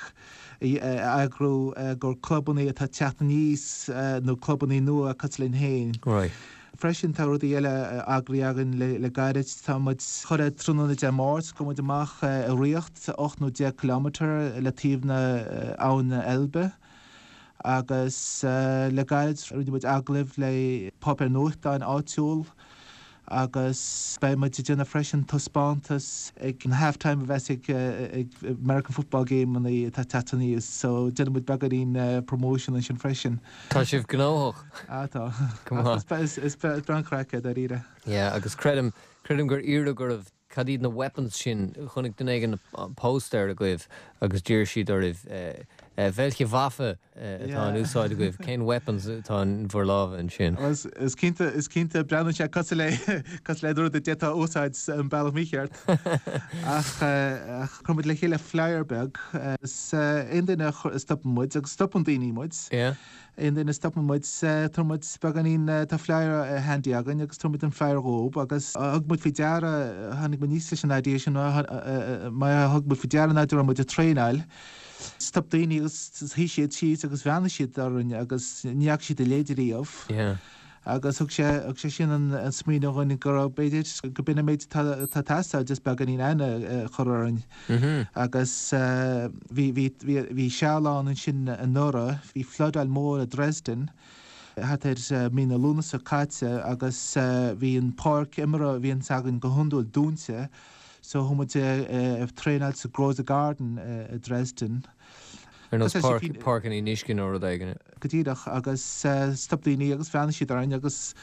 a eagrú do clubanna atá ag teacht aníos nó clubanna nua cosúil linn féin. Right. Freisin tá rudaí eile eagraithe againn le gairid. Tá muid chuile tráthnóna Dé Máirt gabhfaidh muid amach ag rith ocht nó deich kilometre le taobh na abhann Elbe. Agus le gairid rinne muid agallamh le páipéar nuachtáin áitiúil agus beidh muid ag déanamh freisin taispeántas ag an half time a bheas ag American football game atá ag teacht aníos so déanfaidh muid beagáinín promotion ansin freisin. Tá sibh gnóthach. Ah tá. Go maith. Is breá an chraic é dáiríre. Yeah, agus creidim, creidim gur iarradh oraibh Cad iad na weapons sin? Chonaic duine éigin póstaer agaibh agus d'iarr siad oraibh welche Waffe atá in úsáid agaibh? Cén weapons atá in bhur lámha ansin? Is cinnte, is cinnte, breathnaíonn sé cosúil le, cosúil le rud a d'fhéadfá a úsáid an bealach mícheart. Ach chuir muid le chéile flyer beag is aon duine a stopann muid, agus stopann daoine muid, Aon duine a stopann muid, tabharfaidh muid beagáinín, tá flyer handy againn agus tabharfaidh muid an flyer dhóibh agus thug muid faoi deara, tháinig muid aníos leis an idea sin, mar thug muid faoi deara nuair a raibh muid ag traenáil, stop daoine agus shuigh siad síos agus bhreathnaigh siad orainn agus ní fhaca siad a leithéid riamh. Agus thug sé, thug sé sin an smaoineamh dhúinn go raibh, b'fhéidir, go b'in an méid atá ag teastáil, just beagáinín aithne a chur orainn. Agus bhí, bhí, bhí, bhí seal ann ansin anuraidh, bhí floodáil mór i Dresden thart ar mí na Lúnasa caite agus bhí an páirc imeartha a bhíonns againn go hiondúil dúnta so chuaigh muid ag traenáil sa Großer Garten i Dresden. Ar nós páirc an fhionnuisce nó rud éigin. Go díreach, agus stop daoine agus bhreathnaigh siad orainn agus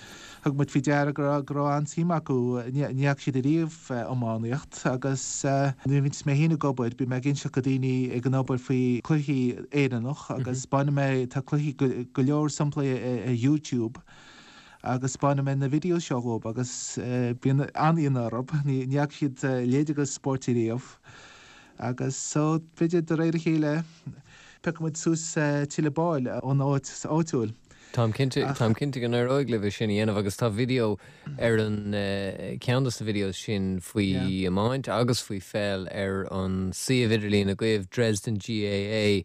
thug muid faoi deara go raibh go raibh an-suim acu, ní fhaca siad ariamh iománaíocht agus nuair a bhíonns mé féin ag obair bíonn mé ag inseacht go daoine ag an obair faoi cluichí Éireannach agus 'spáineann mé, tá cluichí go leor samplaí ar YouTube agus 'spáineann mé na videos seo dhóibh agus bíonn an-ionadh orthu, ní fhaca siad a leithéid de spóirt ariamh. Agus so, b'fhéidir de réir a chéile, piocfaidh muid suas tuilleadh baill ón áit áitiúil. Táim cinnte, táim cinnte go n-éireoidh libh é sin a dhéanamh agus tá video ar an, ceann de na videos sin faoi iomáint agus faoi pheil ar an suíomh idirlín agaibh, Dresden GAA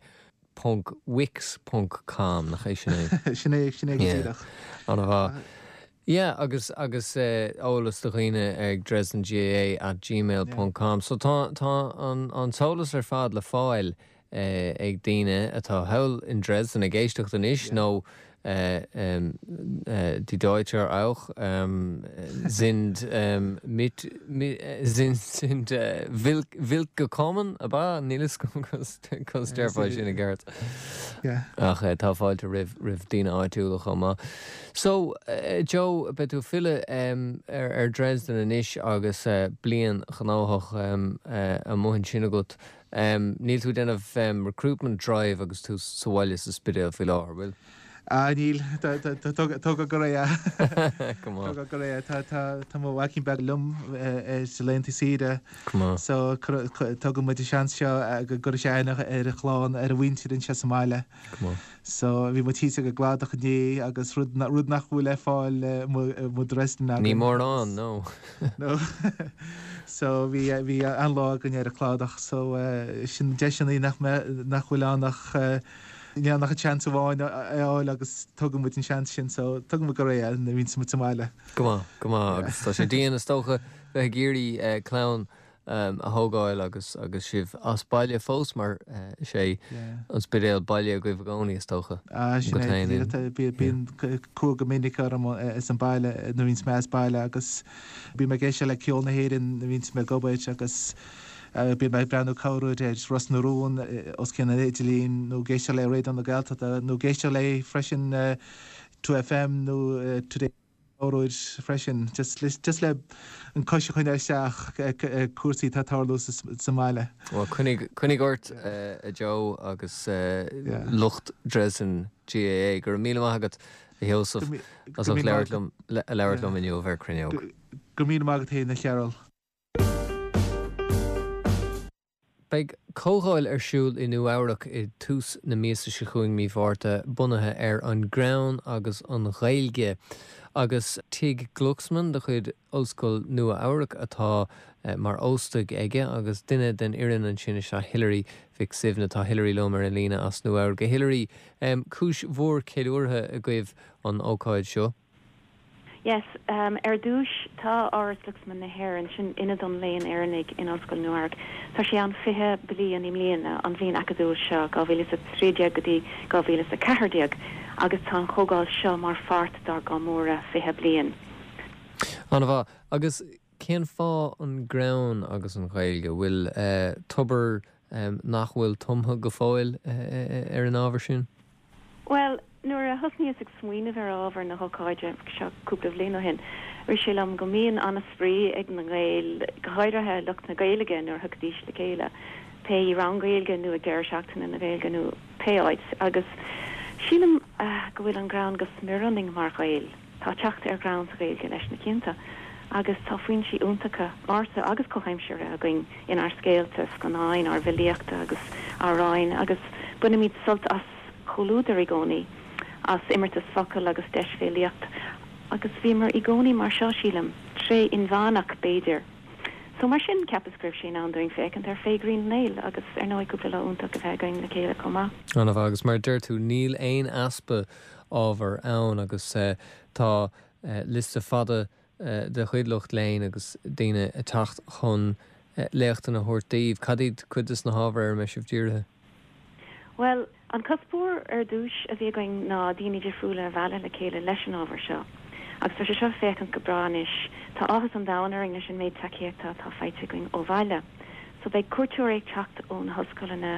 ponc wix ponc com, nach é sin é? Sin é, sin é go díreach. An-mhaith. Yeah, agus agus eolas do dhaoine ag Dresden GAA at gmail ponc com. So tá tá an an t-eolas ar fad le fáil ag daoine atá thall in Dresden ag éisteacht anois nó die Deutscher auch sind mit sind sind willkommen, ab ea? Níl a fhios agam conas déarfá sin i gceart. Ach tá fáilte roimh roimh daoine áitiúla chomh maith. So, Joe, beidh tú ag filleadh ar Dresden anois agus bliain ghnóthach amuigh ansin agat. Níl tú ag déanamh recruitment drive agus tú sa bhaile sa Spidéal faoi láthair, bhfuil? Ah, níl. Tógadh go réidh é. Tógadh go réidh é. Tá mo mhaicín beag liom ar laethanta saoire. So, tógann muid an seans seo go gcuirfidh sé aithne ar a chlann, ar a mhuintir anseo sa mbaile. So, bhí muid thíos ag an gcladach inné agus rud rud nach bhfuil le fáil i Dresden againn. Ní mórán, no. No. So, bhí bhí an-lá againn ar an cladach. So, sin deiseanna nach nach bhfuil ann ach Níl ann ach an seans amháin a fháil agus tógann muid an seans sin so tógann muid go réidh é nuair a bhíonns muid sa mbaile. Go maith, go maith agus tá sé dian is dócha bheith ag iarraidh clann a thógáil agus agus sibh as baile fós mar is é an Spidéal baile agaibh i gcónaí is dócha. Sin é, bíonn cumha go minic orm as an baile nuair a bhíonns mé as baile agus bím ag éisteacht le ceol na hÉireann nuair a bhíonns mé ag obair agus bím ag breathnú corruair ar Ros na Rún os cionn an idirlín nó ag éisteacht le Raidió na Gaeltachta nó ag éisteacht le freisin Two FM nó Today corruair freisin, just just le an cois a choinneáil isteach cúrsaí atá ag tarlú sa mbaile. Bhuel, coinnigh coinnigh ort a Joe agus lucht Dresden GAA. Go raibh míle maith agat a Sheosaimh as ucht labhairt liom labhairt liom inniu ar Cruinneog. Go raibh míle maith agat féin a Chearúil. Beidh comhdháil ar siúl i Nua Eabhrac i dtús na míosa seo chugainn, mí Mhárta, bunaithe ar an greann agus an Ghaeilge. Agus Tigh Glucksman de chuid Ollscoil Nua Eabhrac atá mar óstaigh aige agus duine den fhoireann ansin is ea Hilary Mhic Suibhne. Tá Hilary liom ar an líne as Nua Eabhrac. A Hilary, cúis mhór ceiliúrtha agaibh an ócáid seo. Yes, um, ar dtús tá Áras Glucksman na hÉireann, sin Ionad an Léinn Éireannaigh in Ollscoil Nua Eabhrac. Tá sé ann fiche bliain i mbliana, an bhliain acadúil seo, dhá mhíle is a trí déag go dtí dhá mhíle is a ceathair déag, agus tá an chomhdháil seo mar pháirt dár gcomóradh fiche bliain. An-mhaith. Agus cén fáth an greann agus an Ghaeilge? Bhfuil eh, tobar um, nach bhfuil tumtha go fóill eh, ar an ábhar sin? Bhuel, nuair a thosnaíos ag smaoineamh ar ábhar na hócáide seo cúpla bliain ó shin, rith sé liom go mbíonn an-spraoi ag na Gaeil, go háirithe lucht na Gaeilge nuair a thagaidís le chéile, pé i rang Gaeilge nó ag deireadh seachtaine na Gaeilge nó pé áit, agus sílim go bhfuil an greann go smior ionainn mar Ghaeil. Tá teacht ar ghreann sa Ghaeilge leis na cianta, agus tá foinsí iontacha ársa agus comhaimseartha againn inár scéalta, scannáin, ár bhfilíochta agus amhráin, agus bainimid sult as comhluadar i gcónaí, as imeartas focal agus deisbhéalaíocht, agus bhíomar i gcónaí mar seo, sílim, tréith inmheánach, b'fhéidir. So mar sin, cheapas go raibh sé in am dúinn féachaint ar Féith Ghrinn an Néill agus ar ndóigh cúpla lá iontach a bheith againn le chéile chomh maith. An-mhaith, agus mar a deir tú, níl aon easpa ábhar ann agus tá liosta fada de chuid lucht léinn agus daoine ag teacht chun léachtanna a thabhairt daoibh. Cad iad cuid de na hábhair ar a mbeidh sibh dírithe? Bhuel, an cuspóir ar dtús a bhí againn ná daoine difriúla a mhealladh le chéile leis an ábhar seo. Agus tá sé seo ag féachaint go breá anois. Tá áthas an domhain orainn leis an méid tacaíochta atá faighte againn ó bhaile. So beidh cuairteoirí ag teacht ó na hollscoileanna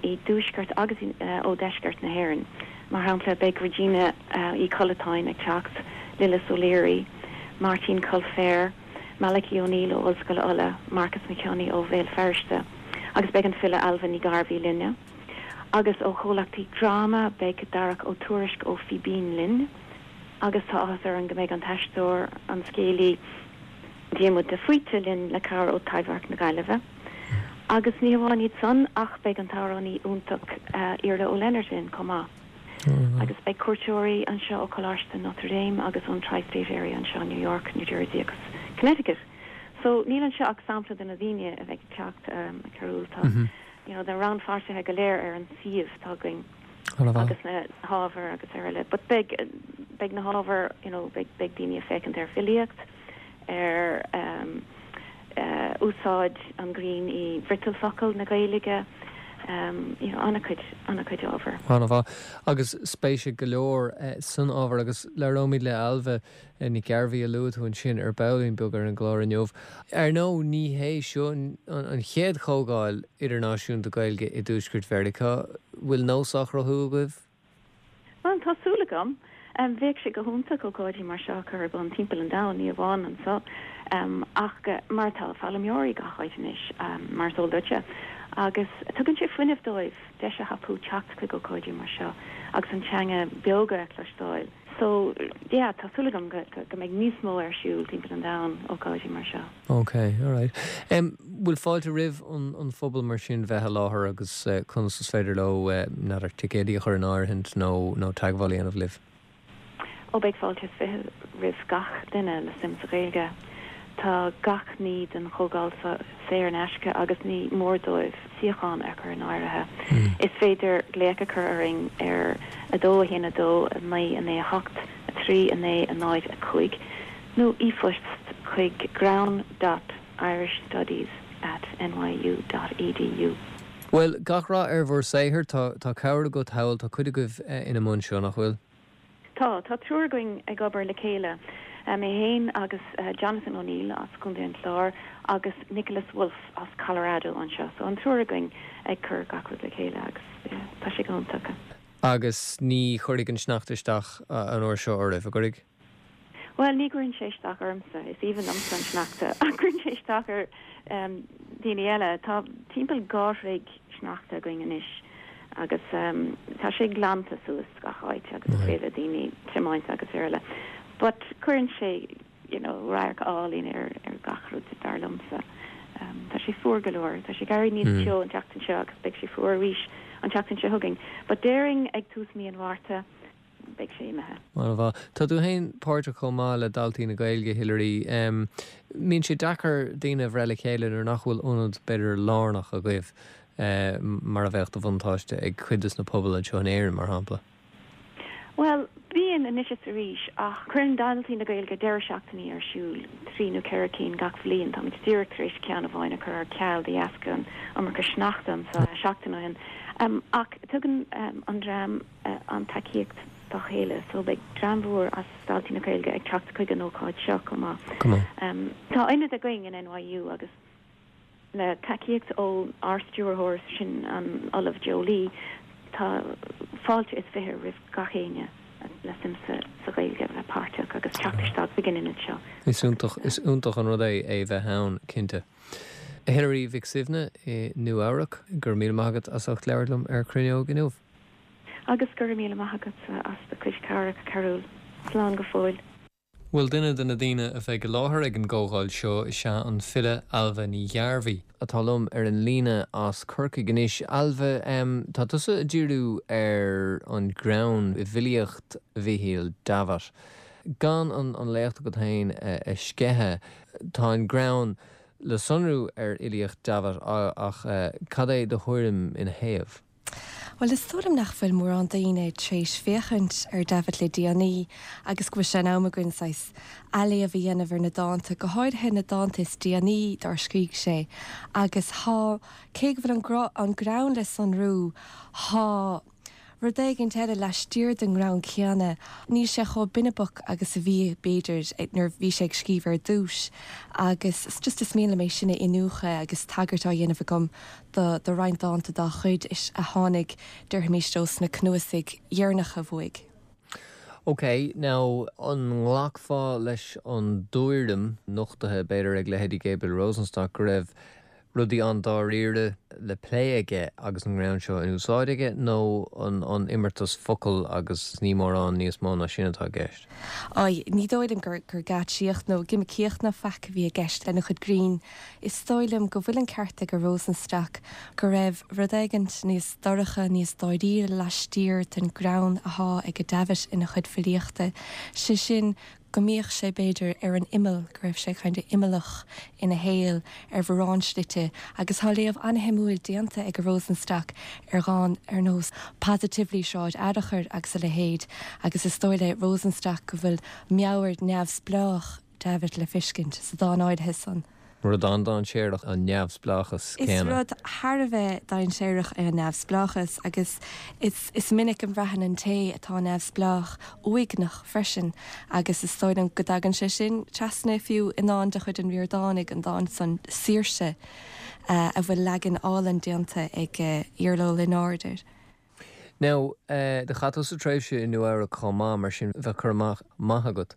i dtuaisceart agus ó dheisceart na hÉireann. Mar shampla, beidh Regina Uí Chollatáin ag teacht, Lillis O'Leary, Máirtín Coilféir, Malachy O'Neill ó Ollscoil Uladh, Marcus Mac Cionnaith ó Bhéal Feirste agus beidh an file Ailbhe Ní Ghearbhuigh linne. Agus ó chomhlachtaí dráma beidh Darach Ó Tuairisg ó Fíbín linn agus tá áthas orainn go mbeidh an t-aisteoir, an scéalaí Diarmuid de Faoite linn le cabhair ó Taibhdhearc na Gaillimhe. Agus ní hamháin iad san ach beidh an t-amhránaí iontach Iarla Ó Lionáird linn chomh maith. Agus beidh cuairteoirí anseo ó Choláiste Notre Dame agus ón Tri-State Area anseo, New York, New Jersey agus Connecticut. So níl anseo ach sampla de na daoine a bheidh ag teacht, a Chearúil. Tá you know na rannpháirtithe go léir ar an suíomh atá againn agus na hábhair agus araile. But beidh beidh na hábhair you know beidh beidh daoine ag féachaint ar filíocht, ar um, uh, úsáid an ghrinn i bhfriotal focal na Gaeilge, um, you know, an-chuid an-chuid ábhar. An-mhaith. Agus spéis ag go leor eh, san ábhar agus labhróimid le Ailbhe eh, Nic Ghearbhuigh a luaigh tú ansin ar baillín beag ar an gclár inniu. Ar ndóigh ní hé seo an, an chéad chomhdháil idirnáisiúnta Gaeilge i dTuaisceart Mheiriceá, bhfuil nós á chruthú agaibh? Bhuel, tá súil agam. Um, bheadh sé go hiontach ócáidí mar seo a chur ar bun timpeall an domhain, ní amháin anseo, um, ach uh, mar tá foghlaimeoirí gach áit anois, um, mar is eol duitse. Agus tugann sé fuinneamh dóibh deis a thapú teacht chuig ócáidí mar seo agus an teanga beoga a chloisteáil. So, yeah, tá súil agam go, go, go mbeidh níos mó ar siúl timpeall an domhain ócáidí mar seo. Ok, alright. Um, bhfuil fáilte roimh an, an phobal mar sin bheith i láthair agus uh, conas is féidir leo uh, n'fheadar ticéidí a chur in áirithint nó nó teagmháil a dhéanamh libh? Ó beidh fáilte is fiche roimh gach duine le suim sa Ghaeilge. Tá gach ní den chomhdháil saor in aisce agus ní mór dóibh suíochán a chur in áirithe. Is féidir glaoch a chur orainn ar a dó a haon a dó a naoi a naoi a hocht a trí a naoi a náid a cúig nó e-phost chuig greann dot Irish Studies at N Y U dot E D U. Bhuel, gach rath ar bhur saothar. Tá tá cabhair agat thall, tá cuid agaibh ina mbun seo, nach bhfuil? Tá, tá triúr againn ag obair le chéile, mé féin agus Jonathan O'Neill as Contae an Chláir agus Nicholas Wolf as Colorado anseo. So an triúr againn ag cur gach rud le chéile agus tá sé go hiontach. Agus ní chuirfidh an sneachta isteach an uair seo oraibh, an gcuirfidh? Bhuel, ní chuireann sé isteach ormsa, is aoibhinn liomsa an sneachta, ach cuireann sé isteach ar daoine eile. Tá timpeall dhá throigh sneachta againn anois agus tá sé glanta suas gach áit agus is féidir le daoine tiomáint agus araile. But cuireann sé you know, radharc álainn ar ar gach rud dar liomsa. Tá sé fuar go leor, tá sé ag éirí níos teo an tseachtain seo agus beidh sé fuar arís an tseachtain seo chugainn. But déarfainn ag tús mí an Mhárta, beidh sé imithe. Mar bha. Tá tú féin páirteach chomh maith le Daltaí na Gaeilge, Hilary. Mbíonn sé deacair daoine a bhreith le chéile nuair nach bhfuil ionad b'fhéidir lárnach agaibh mar a bheadh de bhuntáiste ag cuid de na pobail anseo in Éirinn, mar shampla? Bhuel, bíonn anois is arís, ach cuireann Daltaí na Gaeilge deireadh seachtainí ar siúl, trí nó ceithre cinn gach bhliain. Táimid díreach tar éis ceann amháin a chur ar ceal de dheasca an iomarca sneachta anseo seachtain ó shin. Ach tugann an dream an tacaíocht dá chéile, so beidh dream mhór as Daltaí na Gaeilge ag teacht chuig an ócáid seo chomh maith. Tá ionad againn in N Y U agus le tacaíocht ó ár stiúrthóir, sin an Ollamh Joe Lee, tá fáilte is fiche roimh gach éinne le suim sa sa Ghaeilge a bheith páirteach agus teacht isteach chuig an ionad seo. Is iontach is iontach an rud é é bheith ann, cinnte. Hilary Mhic Suibhne i Nua Eabhrac, go raibh míle maith agat as ucht labhairt liom ar Cruinneog inniu. Agus go raibh míle maith agatsa as do chuid cabhrach, a Chearúil. Slán go fóill. Bhuel, duine de na daoine a bheidh i láthair ag an gcomhdháil seo is ea an file Ailbhe Ní Ghearbhuigh, atá liom ar an líne as Corcaigh anois. Ailbhe, tá tusa ag díriú ar an greann i bhfilíocht Mhichíl Davitt. Gan an an léacht agat féin a sceitheadh, tá an greann le sonrú ar fhilíocht Davitt ach cad é do thuairim ina thaobh? Bhuel, is dóigh liom nach bhfuil mórán daoine tar éis féachaint ar Davitt le déanaí agus go bhfuil sé in am againn saghas athléamh a dhéanamh ar na dánta, go háirithe na dánta is déanaí dár scrígh sé. Agus thá, cé go bhfuil an greann le sonrú, thá rud éigin eile laistiar den ngreann céanna. Níl sé chomh binibeach agus a bhí b'fhéidir nuair bhí sé ag scríobh ar dtús agus just is mian liom é sin a iniúchadh agus tagairt á dhéanamh agam do do roinnt dánta dá chuid is a tháinig déarfaimis sna cnuasaigh dheireanacha uaidh. Ok, now an nglacfá leis an dtuairim nochtaithe b'fhéidir ag leithéidí Gabriel Rosenstock go raibh rudaí an-dáiríre le plé aige agus an greann seo in úsáid aige nó an an imeartas focal agus ní mórán níos mó ná sin atá i gceist? Á, ní dóigh liom gur gur geáitsíocht nó gimicíocht ná faic a bhí i gceist lena chuid grinn. Is dóigh liom go bhfuil an ceart ag Rosenstock go raibh rud éigin níos dorcha, níos dáiríre laistiar den greann atá ag Davitt ina chuid filíochta. Sé sin go mbíodh sé b'fhéidir ar an imeall, go raibh sé kind of imeallach ina shaol ar mhórán slite agus tá léamh an-shuimiúil déanta ag Rosenstock ar dhán ar nós Positively Sráid Fhearchair agus a leithéid agus is dóigh le Rosenstock go bhfuil meabhair neamhspleách Davitt le feiscint sa dán áirithe san. Rud an-dainséarach an neamhspleáchas Is céanna. rud thar a bheith dainséarach é an neamhspleáchas agus is, is minic a bhraitheann an té atá neamhspleách uaigneach freisin agus is dóigh liom go dtagann sé sin trasna fiú i ndán de chuid an Ríordánaigh, an dán san Saoirse uh, a bhfuil leagan álainn déanta ag uh, Iarla Ó Lionáird air. Now, uh, do chaith tusa tréimhse i Nua Eabhrac chomh maith mar sin bheadh cur amach maith agat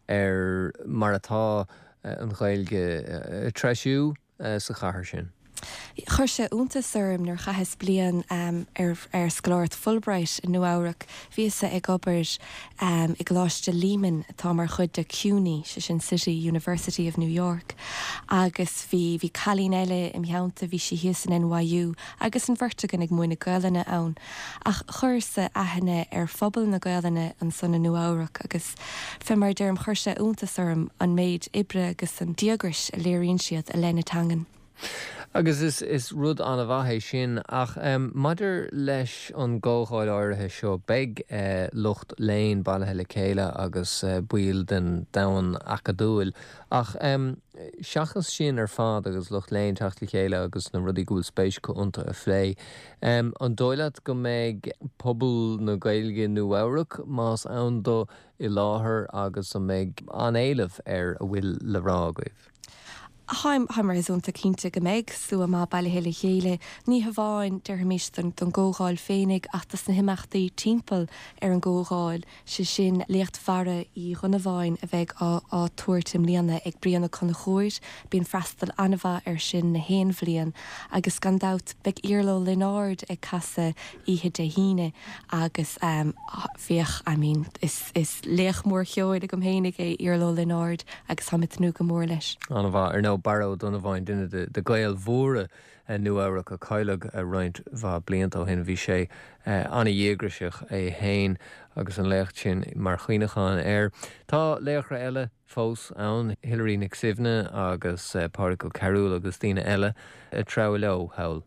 ar mar atá uh, an Ghaeilge uh, treisiú uh, sa chathair sin. Chuir sé iontas orm nuair chaitheas bliain um, ar, ar scoláireacht Fulbright i Nua Eabhrac, Bhíos ag obair um, i gColáiste Lehman atá mar chuid de CUNY, sé sin City University of New York, agus bhí bhí cailín eile im theannta bhí sí thíos in N Y U agus an bheirt againn ag múineadh Gaelainne ann. Ach chuireas aithne ar phobal na Gaelainne ansan i Nua Eabhrac agus fé mar deirim chuir sé iontas orm an méid oibre agus an díograis a léiríonn siad i leith na teangan. Agus is is rud an-mhaith é sin ach um, maidir leis an gcomhdháil áirithe seo beidh uh, lucht léinn bailithe le chéile agus uh, baill den domhan acadúil ach um, seachas sin ar fad agus lucht léinn teacht le chéile agus na rudaí go bhfuil spéis acu iontu a phlé. Um, an dóigh leat go mbeidh pobal na Gaeilge Nua-Eabhrac más ann dó i láthair agus an mbeidh an-éileamh ar a bhfuil le rá agaibh. Táim réasúnta cinnte go mbeidh slua maith bailithe le chéile, ní hamháin déarfaimis don don gcomhdháil féinig ach dos na himeachtaí timpeall ar an gcomhdháil, sé sin léacht Bharra Uí Dhonnabháin a bheidh á á tabhairt i mbliana ag Brian Ó Conchúir, bíonn freastal an-mhaith air sin na haon bhliain agus gan dabht beidh Iarla Ó Lionáird ag casadh oíche Dé hAoine agus um, bheadh I mean, is, is laoch mór ceoil agam féinig é Iarla Ó Lionáird agus táim ag tnúth go mór leis. An-mhaith ar nó Barra Ó Donnabháin duine de, de Ghaeil mhóra Nua-Eabhrac a cailleadh roinnt mhaith blianta ó shin bhí sé an-dhíograiseach é féin agus an léacht sin mar chuimhneachán air. Tá laochra eile fós ann Hilary Nic Suibhne agus Pádraig Ó Cearúil agus daoine eile ag treabhadh leo thall.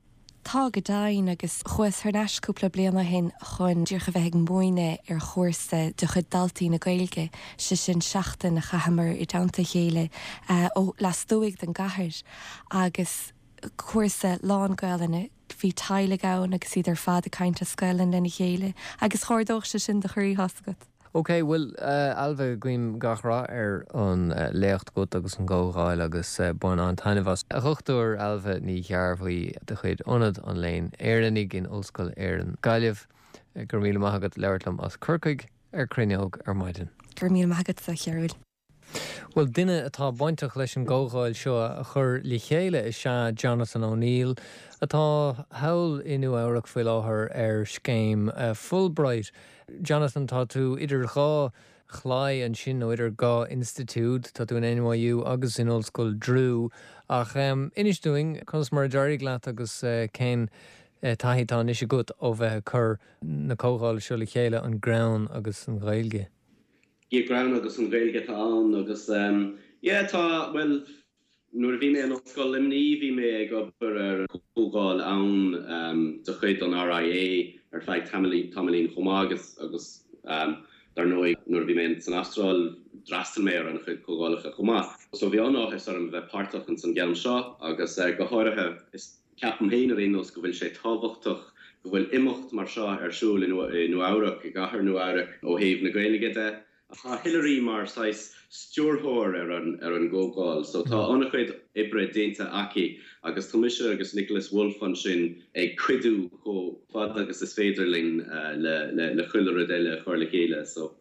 Tá go deimhin agus chuas thar n-ais cúpla bliain ó shin chun díreach a bheith ag múineadh ar chúrsa de chuid Daltaí na Gaeilge, sé sin seachtain a chaitheamar i dteannta a chéile ó lastuaidh den gcathair agus cúrsa lán Gaelainne, bhí teaghlaigh ann agus iad ar fad ag caint as Gaelainn lena chéile agus chomhardódh sé sin do chroí tá a fhios agat. Ok, bhuel uh, Ailbhe guím gach rath ar an uh, léacht agat agus an gcomhdháil agus uh, bain an-taitneamh as. A Dhochtúir Ailbhe Ní Ghearbhuigh de chuid Ionad an Léinn Éireannaigh in Ollscoil Éireann Gaillimh, go raibh míle maith agat labhairt liom as Corcaigh ar Cruinneog ar maidin. Go raibh míle maith agat a Chearúil. Well duine atá bainteach leis an gcomhdháil seo a chur le chéile is ea Jonathan O'Neill atá thall i Nua-Eabhrac faoi láthair ar scéim uh, Fulbright. Jonathan tá tú idir dhá chlaí ansin nó idir dhá institiúid tá tú in NYU agus in Ollscoil Drew ach um, inis dúinn conas mar a d'éirigh leat agus uh, cén uh, taithí atá anois agat ó bheith ag cur na comhdhála seo le chéile an greann agus an Ghaeilge. Yeah greann agus an Ghaeilge atá ann agus um, yeah, tá well nuair a bhí mé in Ollscoil Luimnigh bhí mé ag obair ar comhdháil ann um, de chuid an RIA ar feadh tamaillín chomh maith agus agus um, dar ndóigh nuair a bhí mé san Astráil d'fhreastail mé ar an-chuid comhdhálacha chomh maith. So bhí an-áthas orm bheith páirteach in san gceann seo agus uh, go háirithe is ceapaim féin ar aon nós go bhfuil sé tábhachtach go bhfuil imeacht mar seo ar siúl i Nua-Eabhrac i gcathair Nua-Eabhrac ó thaobh na Gaeilge de. Tá Hillary mar saghas stiúrthóir ar an ar an gcomhdháil, so tá an-chuid oibre déanta aici agus tá mise agus Nicholas Wolf ansin ag cuidiú chomh fada agus is féidir linn uh, le, le, le chuile rud eile chur le chéile so.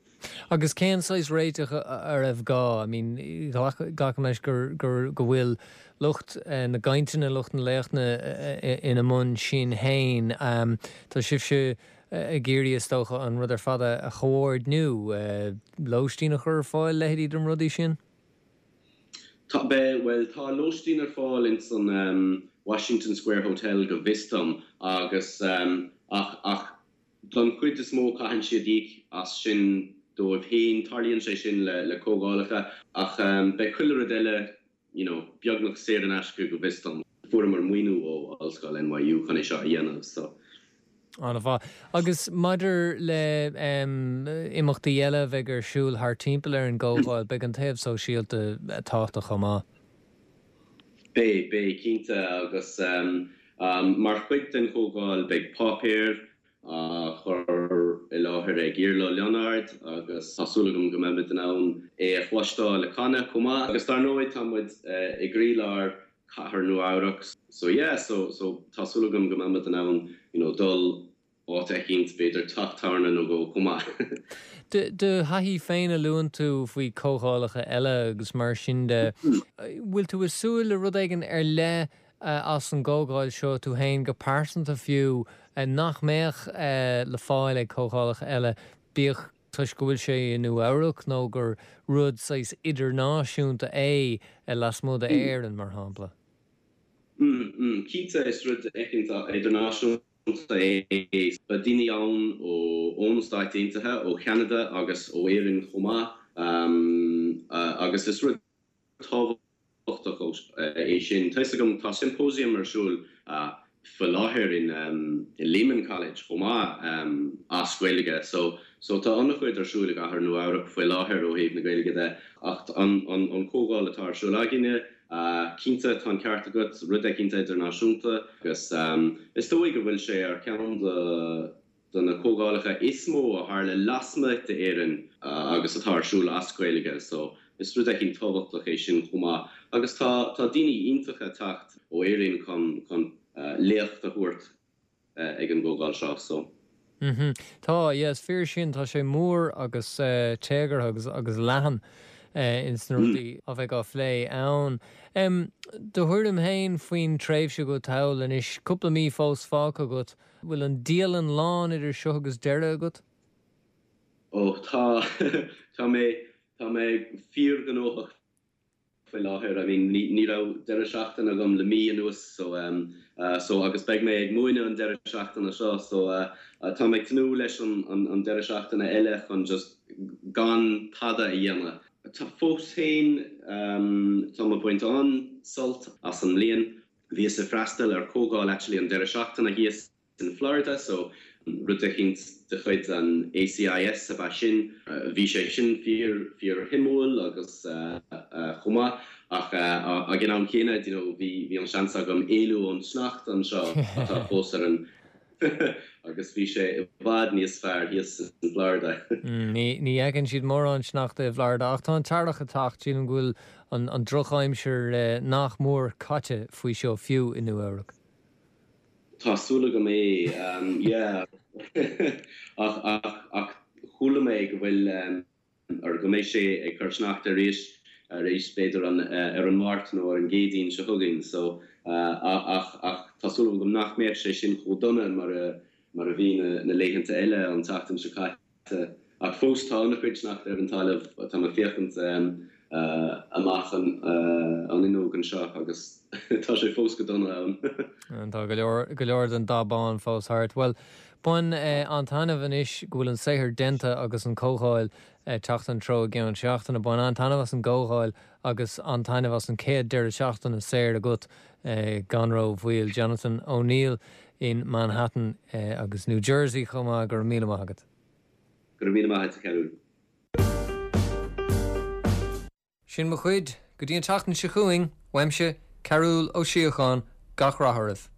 Agus cén saghas réiteach a raibh gá, I mean glacaim leis gur gur go bhfuil lucht uh, na gcainteanna lucht na léachtanna uh, ina mbun sin féin um, Tá sibhse ag iarraidh is dócha an rud ar fad a chomhordú lóistín a chur ar fáil leithéidí den rudaí sin? Tá be well tá lóistín ar fáil in san um, Washington Square Hotel go bhfios dom agus um, ach ach don chuid is mó caitheann siad íoc as sin dóibh féin tarlaíonn sé sin le le comhdhálacha ach um, beidh chuile rud eile you know, beagnach saor in aisce go bhfios dom. Fuaireamar maoiniú ó Ollscoil NYU chun é seo a dhéanamh so. An-mhaith. Agus maidir le um, imeachtaí eile bheidh ar siúl thar timpeall ar an gcomhdháil, beidh an taobh sóisialta tábhachtach chomh maith. Beidh beidh cinnte agus um, um, mar chuid den chomhdháil beidh páipéar á chur i láthair ag Iarla Ó Lionáird agus tá súil agam go mbeimid in ann é a chloisteáil ag canadh chomh maith agus dar ndóigh tá muid uh, i gcroílár cathair Nua-Eabhrac. So yeah, so, so tá súil agam go mbeimid in ann you know, dul áit eicínt b'fhéidir teach tábhairne nó dhó chomh maith. Do thaithí féin a luann tú faoi comhdhálacha eile agus mar sin de bhfuil tú ag súil le rud éigin ar leith as an gcomhdháil seo tú féin go pearsanta fiú nach mbeadh le fáil ag comhdhálacha eile bíodh toisc go bhfuil sé i Nua-Eabhrac nó gur rud saghas idirnáisiúnta é lasmuigh d'Éirinn mar shampla. Mm, mm, Cinnte is rud eicínt idirnáisiúnta é Beidh daoine ann ó ó Stáit Aontaithe ó Cheanada agus ó Éirinn chomh maith um, uh, agus is rud tábhachtach tábhachtach é sin. Tá a fhios agam tá symposium ar siúl faoi láthair in in Lehman College chomh maith as Gaeilge so so tá an-chuid ar siúl i gcathair Nua Eabhrac faoi láthair ó thaobh na Gaeilge de ach an an an comhdháil atá ar siúl againne cinnte tá an ceart agat rud eicínt idirnáisiúnta agus is dóigh go bhfuil sé ar ceann de de na comhdhálacha is mó a tharla lasmuigh d'Éirinn agus atá ar siúl as Gaeilge so is rud eicínt tábhachtach é sin chomh maith agus tá tá daoine iontacha ag teacht ó Éirinn chun chun léacht a thabhairt ag an gcomhdháil seo so. Mhm. Tá, yeah, is fíor sin, tá sé mór agus téagartha agus agus leathan ins na rudaí a bheidh á phlé ann. Do thuairim féin faoin tréimhse agat thall anois, cúpla mí fós fágtha agat, bhfuil an dialann lán idir seo agus deireadh agat? Ó tá, tá mé, tá mé fíorghnóthach faoi láthair. I mean ní ní raibh deireadh seachtaine agam le mí anuas so um so agus beidh mé ag múineadh an deireadh seachtaine seo so uh tá mé ag tnúth leis an an an deireadh seachtaine eile chun just gan tada a dhéanamh. Tá fós féin um tá mé ag baint an-sult as an mbliain. Bhíos ag freastal ar comhdháil actually an deireadh seachtaine thíos in Florida so rud eicínt de chuid an ACIS ab ea sin. Bhí sé sin fíor fíor-shuimiúil agus chomh maith ach ag an am céanna you know bhí bhí an seans agam éalú ón sneachta anseo atá fós ar an agus bhí sé i bhfad níos fearr thíos in Florida. Ní ní fheiceann siad mórán sneachta i bhFlorida ach tá an t-earrach ag teacht, sílim go bhfuil an an drochaimsir nach mór caite faoi seo fiú i Nua Eabhrac. Tá súil agam é, yeah. Ach, ach, ach chuala mé go bhfuil, or go mbeidh sé ag cur sneachta arís, arís b'fhéidir an, ar an Máirt nó ar an gCéadaoin seo chugainn. So, ach, ach tá súil agam nach mbeadh sé sin chomh dona mar a, mar a bhí na, na laethanta eile an tseachtain seo caite. Ach fós tá an-chuid sneachta ar an talamh, tá mé ag féachaint amach an fhuinneog anseo agus tá sé fós go dona ann. Tá go leor, go leor den dath bán fós thart. Bhuel, bain an-taitneamh anois go bhfuil an saothar déanta agus an comhdháil ag teacht an treo i gceann seachtaine. Bain an-taitneamh as an gcomhdháil agus an-taitneamh as an chéad deireadh seachtaine saor agat gan ró-mhoill. Jonathan O'Neill in Manhattan agus New Jersey chomh maith, go raibh míle maith agat. Go raibh míle maith agat, a Chearúil. Sin mo chuid, go dtí an tseachtain seo chugainn, uaimse, Cearúll Ó Síocháin, gach rath oraibh.